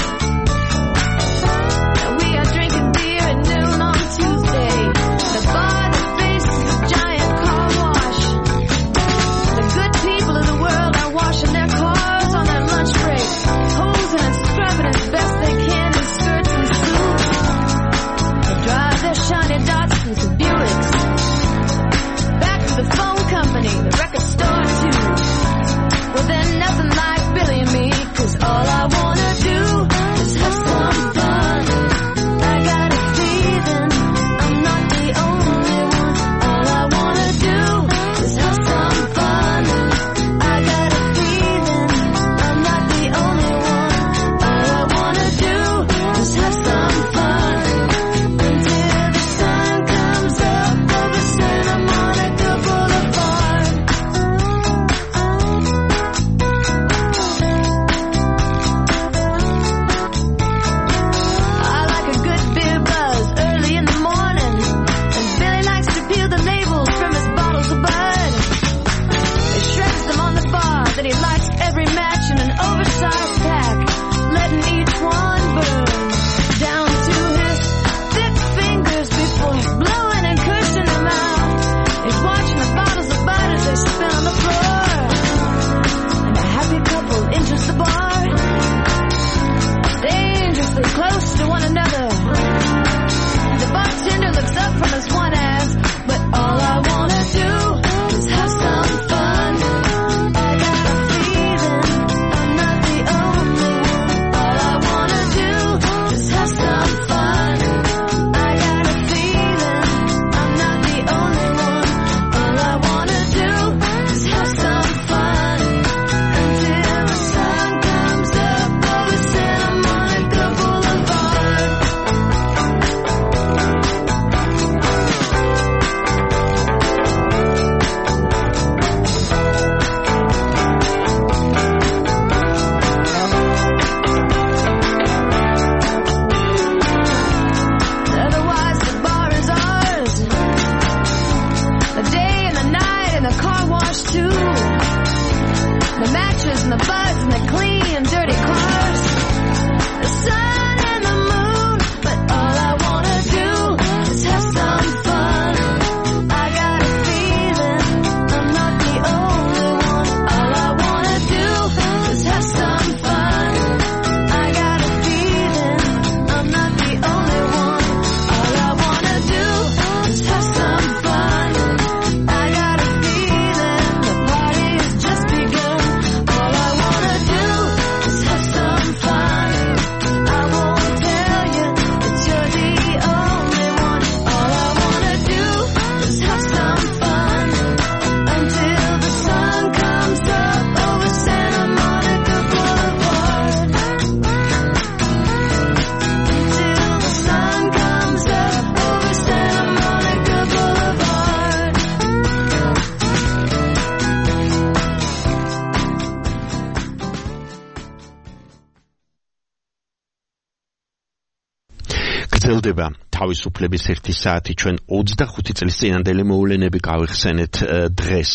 გრძელდება თავისუფლების 1 საათი. ჩვენ 25 წლის წინანდელი მოვლენები გავიხსენეთ დღეს.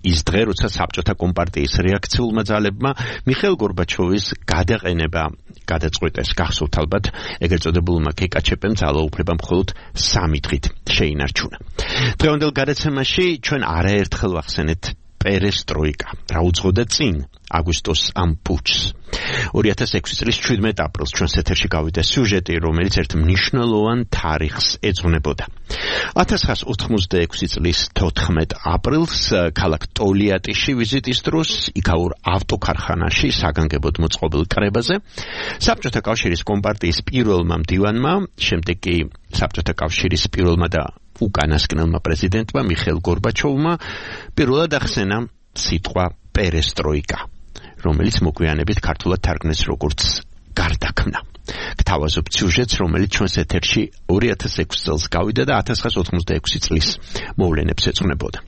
ის დღე, როცა საბჭოთა კომპარტიის რეაქციულმა ძალებმა მიხეილ გორბაჩოვის გადაყენება გადაწყვეტეს. გახსოვთ ალბათ, ეგრეთ წოდებულმა KKČP-მ ძალაუფლება მხოლოდ 3 დღით შეინარჩუნა. დღევანდელ გადაცემაში ჩვენ არაერთხელ ვახსენეთ პერესტროიკა. რა უძღოდა წინ აგვისტოს ამ პუჩს. 2006 წლის 17 აპრილს ჩვენს ეთერში გავიდა სიუჟეტი, რომელიც ერთ მნიშვნელოვან თარიღს ეძღვნებოდა. 1986 წლის 14 აპრილს ქალაქ ტოლიატიში ვიზიტის დროს იქაურ ავტოქარხანაში საგანგებოდ მოწყობილ კრებაზე საბჭოთა კავშირის კომპარტიის პირველმა მდივანმა, შემდეგ კი საბჭოთა კავშირის პირველმა და უკანასკნელმა პრეზიდენტმა მიხეილ გორბაჩოვმა პირველად ახსენა სიტყვა პერესტროიკა, რომელიც მოგვიანებით ქართულად თარგმნეს როგორც გარდაქმნა. გთავაზობთ სიუჟეტს, რომელიც ჩვენს ეთერში 2006 წელს გავიდა და 1986 წლის მოვლენებს ეძღვნებოდა.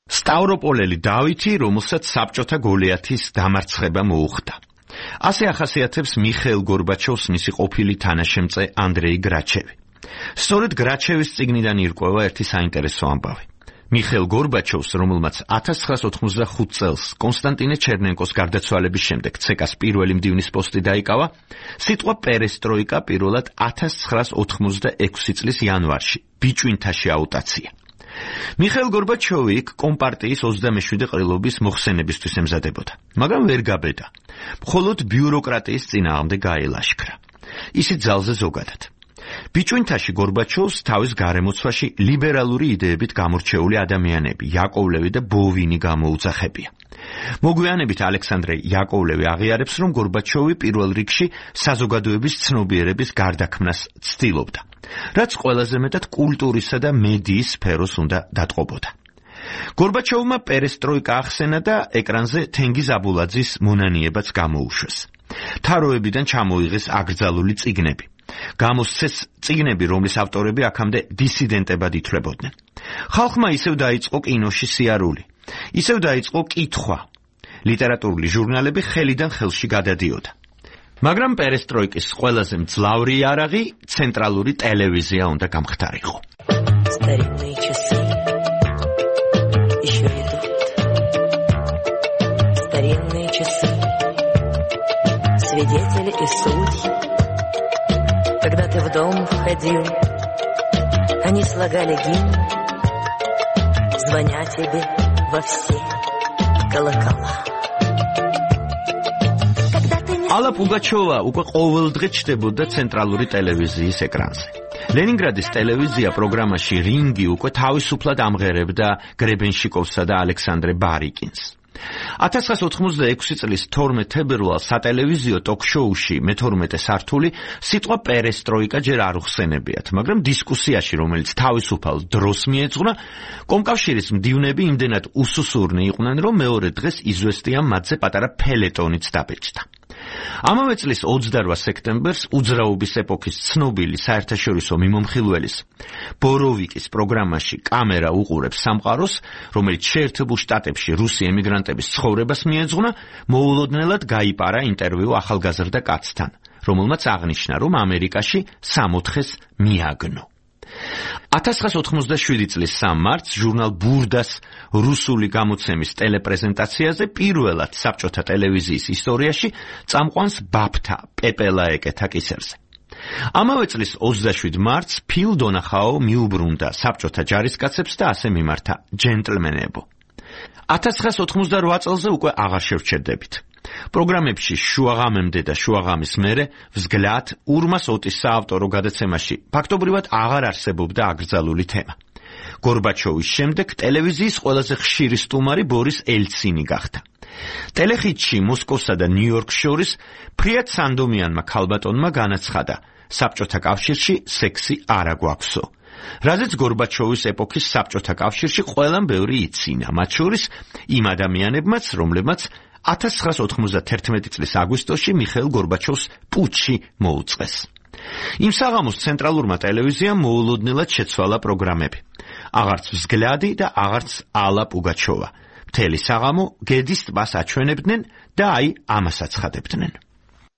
სტავროპოლელი დავითი, რომელსაც საბჭოთა გოლიათის დამარცხება მოუხდა. ასე ახასიათებს მიხეილ გორბაჩოვს მისი ყოფილი თანაშემწე ანდრეი გრაჩევი. სწორედ გრაჩევის წიგნიდან ირკვევა ერთი საინტერესო ამბავი. მიხეილ გორბაჩოვს, რომელმაც 1985 წელს კონსტანტინე ჩერნენკოს გარდაცვალების შემდეგ ცეკას პირველი მდივნის პოსტი დაიკავა, სიტყვა პერესტროიკა პირველად 1986 წლის იანვარში ბიჭვინთაში აუტაცია. მიხეილ გორბაჩოვი კომპარტიის 27 ყრილობის მოხსენებისთვის ემზადებოდა, მაგრამ ვერ გაბედა. მხოლოდ ბიუროკრატიის წინააღმდეგ გაელაშქრა. ისიც ძალზე ზოგადად. ბიჭვინთაში გორბაჩოვს თავის გარემოცვაში ლიბერალური იდეებით გამორჩეული ადამიანები, იაკოვლევი და ბოვინი გამოუძახებია. მოგვიანებით ალექსანდრე იაკოვლევი აღიარებს, რომ გორბაჩოვი პირველ რიგში საზოგადოების ცნობიერების გარდაქმნას ცდილობდა, რაც ყველაზე მეტად კულტურისა და მედიის სფეროს უნდა დატყობოდა. გორბაჩოვმა პერესტროიკა ახსენა და ეკრანზე თენგიზ აბულაძის მონანიებაც გამოუშვეს. თაროებიდან ჩამოიღეს აკრძალული წიგნები. გამოსცეს წიგნები, რომლის ავტორები აქამდე დისიდენტებად ითვლებოდნენ. ხალხმა ისევ დაიწყო კინოში სიარული, ისევ დაიწყო კითხვა. ლიტერატურული ჟურნალები ხელიდან ხელში გადადიოდა. მაგრამ პერესტროიკის ყველაზე მძლავრი იარაღი ცენტრალური ტელევიზია უნდა გამხდარიყო. Свидетели и судьи. Когда ты в дом входил, они слагали гимн, звоня тебе во все колокола. ალა პუგაჩოვა უკვე ყოველდღე ჩნდებოდა ცენტრალური ტელევიზიის ეკრანზე. ლენინგრადის ტელევიზია პროგრამაში რინგი უკვე თავისუფლად ამღერებდა გრებენშიკოვსა და ალექსანდრე ბარიკინს. 1986 წლის 12 თებერვალს სატელევიზიო ტოქ-შოუში მე-12 სართული სიტყვა პერესტროიკა ჯერ არ უხსენებიათ, მაგრამ დისკუსიაში, რომელიც თავისუფალ დროს მიეძღვნა, კომკავშირის მდივნები იმდენად უსუსურნი იყვნენ, რომ მეორე დღეს იზვესტია მათზე პატარა ფელეტონიც დაბეჭდა. ამავე წლის 28 სექტემბერს უძრაობის ეპოქის ცნობილი საერთაშორისო მიმომხილველის ბოროვიკის პროგრამაში კამერა უყურებს სამყაროს, რომელიც შეერთებულ შტატებში რუსი ემიგრანტების ცხოვრებას მიეძღვნა, მოულოდნელად გაიპარა ინტერვიუ ახალგაზრდა კაცთან, რომელმაც აღნიშნა, რომ ამერიკაში 60-ს მიაგნო. 1987 წლის 3 მარტს ჟურნალ ბურდას რუსული გამოცემის ტელეპრეზენტაციაზე პირველად საბჭოთა ტელევიზიის ისტორიაში წამყვანს ბაფთა პეპელა ეკეთა კისერზე. ამავე წლის 27 მარტს ფილ დონახაო მიუბრუნდა საბჭოთა ჯარისკაცებს და ასე მიმართა ჯენტლმენებო. 1988 წელზე უკვე აღარ შევჩერდებით. პროგრამებში შუაღამემდე და შუაღამის მერე взгляд ურმას ოტის საავტორო გადაცემაში ფაქტობრივად აღარ არსებობდა აკრძალული თემა. გორბაჩოვის შემდეგ ტელევიზიის ყველაზე ხშირი სტუმარი ბორის ელცინი გახდა. ტელეხიტში მოსკოვსა და ნიუ-იორკს შორის ფრიად სანდომიანმა ქალბატონმა განაცხადა, საბჭოთა კავშირში სექსი არ აგვაქვსო. რაზეც გორბაჩოვის ეპოქის საბჭოთა კავშირში ყველამ ბევრი იცინა, მათ შორის იმ ადამიანებმაც, რომლებმაც 1991 წლის აგვისტოში მიხეილ გორბაჩოვს პუჩი მოუწყეს. იმ საღამოს ცენტრალურმა ტელევიზიამ მოულოდნელად შეცვალა პროგრამები. აღარც взгляды და აღარც ალა პუგაჩოვა. მთელი საღამო გედის ტბას აჩვენებდნენ და აი ამას აცხადებდნენ.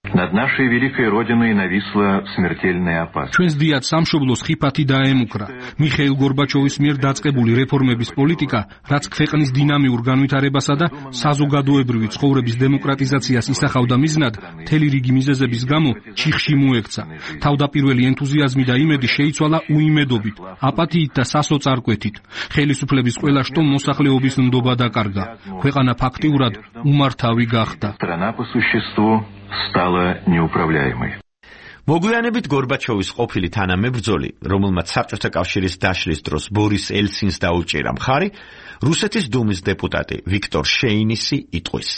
Над нашей великой родиной нависла смертельная опасность. ჩვენს დიად სამშობლოს ხიფათი დაემუქრა. მიხეილ გორბაჩოვის მიერ დაწყებული რეფორმების პოლიტიკა, რაც ქვეყნის დინამიურ განვითარებასა და საზოგადოებრივი ცხოვრების დემოკრატიზაციას ისახავდა მიზნად, მთელი რიგი მიზეზების გამო ჩიხში მოექცა. თავდაპირველი ენთუზიაზმი და იმედი შეიცვალა უიმედობით, აპათიით და სასოწარკვეთით. ხელისუფლების ყველა შტომ მოსახლეობის ნდობა დაკარგა. ქვეყანა ფაქტიურად უმართავი გახდა. Страна по существу стала неуправляемой. მოგვიანებით გორბაჩოვის ყოფილი თანამებრძოლი, რომელმაც საბჭოთა კავშირის დაშლის დროს ბორის ელცინს დაუჭირა მხარი, რუსეთის დუმის დეპუტატი ვიქტორ შეინისი იტყვის.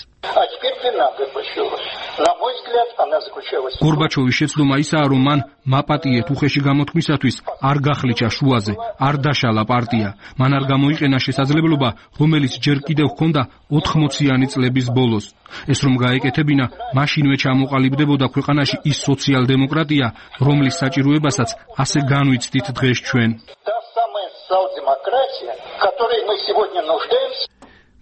გორბაჩოვის შეცდომა ისაა, რომ მან მაპატიეთ უხეში გამოთქმისათვის არ გახლიჩა შუაზე, არ დაშალა პარტია. მან არ გამოიყენა შესაძლებლობა, რომელიც ჯერ კიდევ ჰქონდა 80-იანი წლების ბოლოს. ეს რომ გაეკეთებინა, მაშინვე ჩამოყალიბდებოდა ქვეყანაში ის სოციალ-დემოკრატია, რომლის საჭიროებასაც ასე განვიცდით დღეს ჩვენ.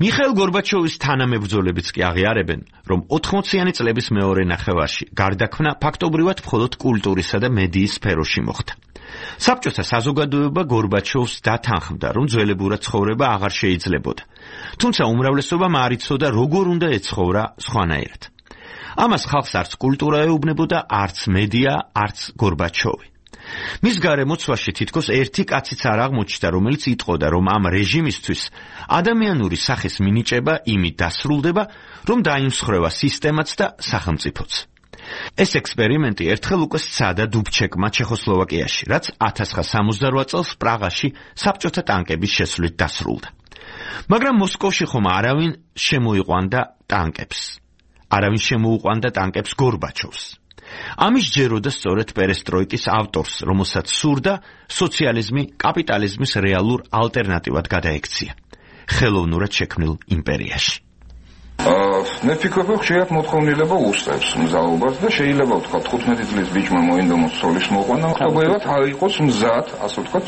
მიხეილ გორბაჩოვის თანამებრძოლებიც კი აღიარებენ, რომ 80-იანი წლების მეორე ნახევარში გარდაქმნა ფაქტობრივად მხოლოდ კულტურისა და მედიის სფეროში მოხდა. საბჭოთა საზოგადოება გორბაჩოვს დათანხმდა, რომ ძველებურად ცხოვრება აღარ შეიძლებოდა. თუმცა უმრავლესობამ არ იცოდა, როგორ უნდა ეცხოვრა სხვანაირად. ამას ხალხს არც კულტურა ეუბნებოდა, არც მედია, არც გორბაჩოვი. მის გარემოცვაში თითქოს ერთი კაციც არ აღმოჩნდა, რომელიც იტყოდა, რომ ამ რეჟიმისთვის ადამიანური სახის მინიჭება იმით დასრულდება, რომ დაიმსხვრევა სისტემაც და სახელმწიფოც. ეს ექსპერიმენტი ერთხელ უკვე სცადა დუბჩეკმა ჩეხოსლოვაკიაში, რაც 1968 წელს პრაღაში საბჭოთა ტანკების შესვლით დასრულდა. მაგრამ მოსკოვში ხომ არავინ შემოიყვანდა ტანკებს. არავინ შემოუყვანდა ტანკებს გორბაჩოვს. ამის ჯეროდა სწორედ პერესტროიკის ავტორს, რომელსაც სურდა სოციალიზმი კაპიტალიზმის რეალურ ალტერნატივად გადაექცია ხელოვნურად შექმნილ იმპერიაში. მე ვფიქრობ, ხშირად მოთხოვნილება უსწრებს მზაობას და შეიძლება ვთქვათ 15 წლის ბიჭმა მოინდომოს ცოლის მოყვანა, ხდებათ არ იყოს მზად, ასე ვთქვათ,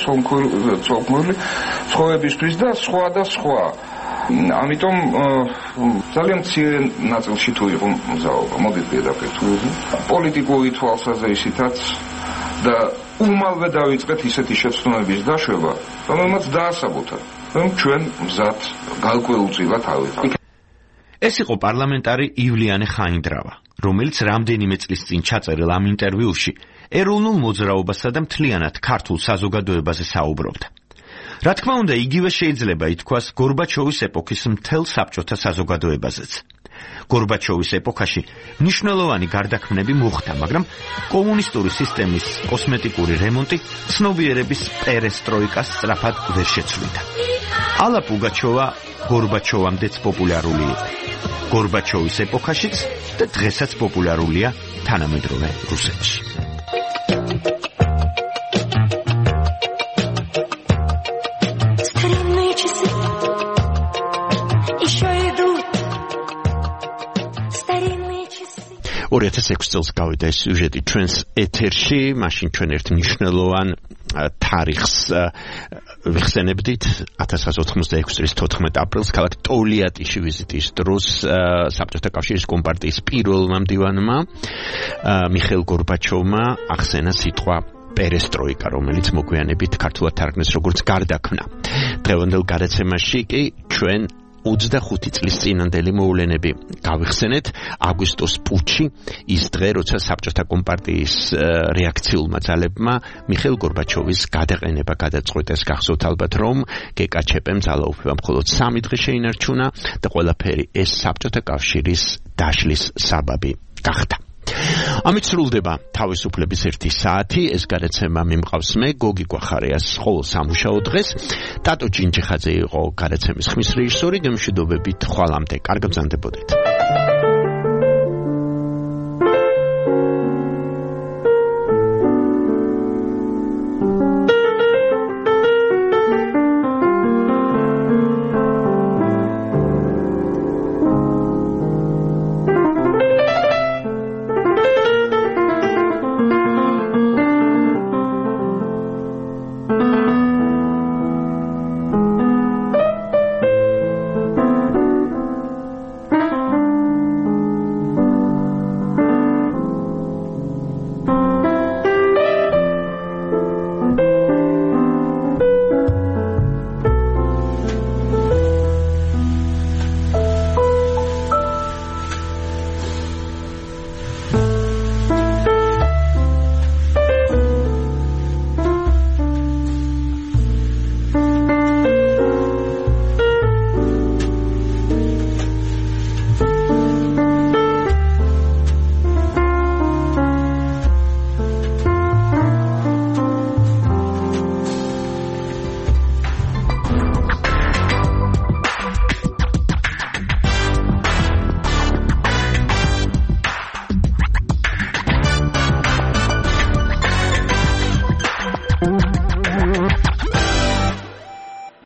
ცოლქმრული ცხოვრებისთვის და სხვა და სხვა. ამიტომ ძალიან მცირე ნაწილში თუ იყო მზაობა, მოდით პირდაპირ პოლიტიკური თვალსაზრისითაც და უმალვე დავიწყეთ ისეთი შეცდომების დაშვება, რომელმაც დაასაბოთა, რომ ჩვენ მზად გარკვეულწილად არ ვიყავით. ეს იყო პარლამენტარი ივლიანე ხაინდრავა, რომელიც რამდენიმე წლის წინ ჩაწერილ ამ ინტერვიუში ეროვნულ მოძრაობასა და მთლიანად ქართულ საზოგადოებაზე საუბრობდა. რა თქმა უნდა, იგივე შეიძლება ითქვას გორბაჩოვის ეპოქის მთელ საბჭოთა საზოგადოებაზეც. გორბაჩოვის ეპოქაში მნიშვნელოვანი გარდაქმნები მოხდა, მაგრამ კომუნისტური სისტემის კოსმეტიკური რემონტი ცნობიერების პერესტროიკას სწრაფად ვერ შეცვლიდა. ალა პუგაჩოვა გორბაჩოვამდეც პოპულარული იყო. გორბაჩოვის ეპოქაშიც და დღესაც პოპულარულია თანამედროვე რუსეთში. ორი 2006 წელს გავიდა ეს სიუჟეტი ჩვენს ეთერში, მაშინ ჩვენ ერთ მნიშვნელოვან თარიღს ვიხსენებდით 1986 წლის 14 აპრილს ქალაქ ტოლიატიში ვიზიტის დროს საბჭოთა კავშირის კომპარტიის პირველმა მდივანმა მიხეილ გორბაჩოვმა ახსენა სიტყვა პერესტროიკა, რომელიც მოგვიანებით ქართულად თარგმნეს როგორც გარდაქმნა. დღევანდელ გადაცემაში კი ჩვენ 25 წლის წინანდელი მოვლენები გავიხსენეთ. აგვისტოს პუჩი, ის დღე, როცა საბჭოთა კომპარტიის რეაქციულმა ძალებმა მიხეილ გორბაჩოვის გადაყენება გადაწყვიტეს. გახსოვთ ალბათ, რომ გეკაჩეპემ ძალაუფლება მხოლოდ 3 დღე შეინარჩუნა და ყველაფერი ეს საბჭოთა კავშირის დაშლის საბაბი გახდა. ამით სრულდება თავისუფლების 1 საათი. ეს გადაცემა მიმყავს მე, გოგი გვახარიას, ყოველ სამუშაო დღეს. ტატო ჭინჭიხაძე იყო გადაცემის ხმის რეჟისორი. გემშვიდობებით, ხვალამდე. კარგ ბრძანდებოდეთ.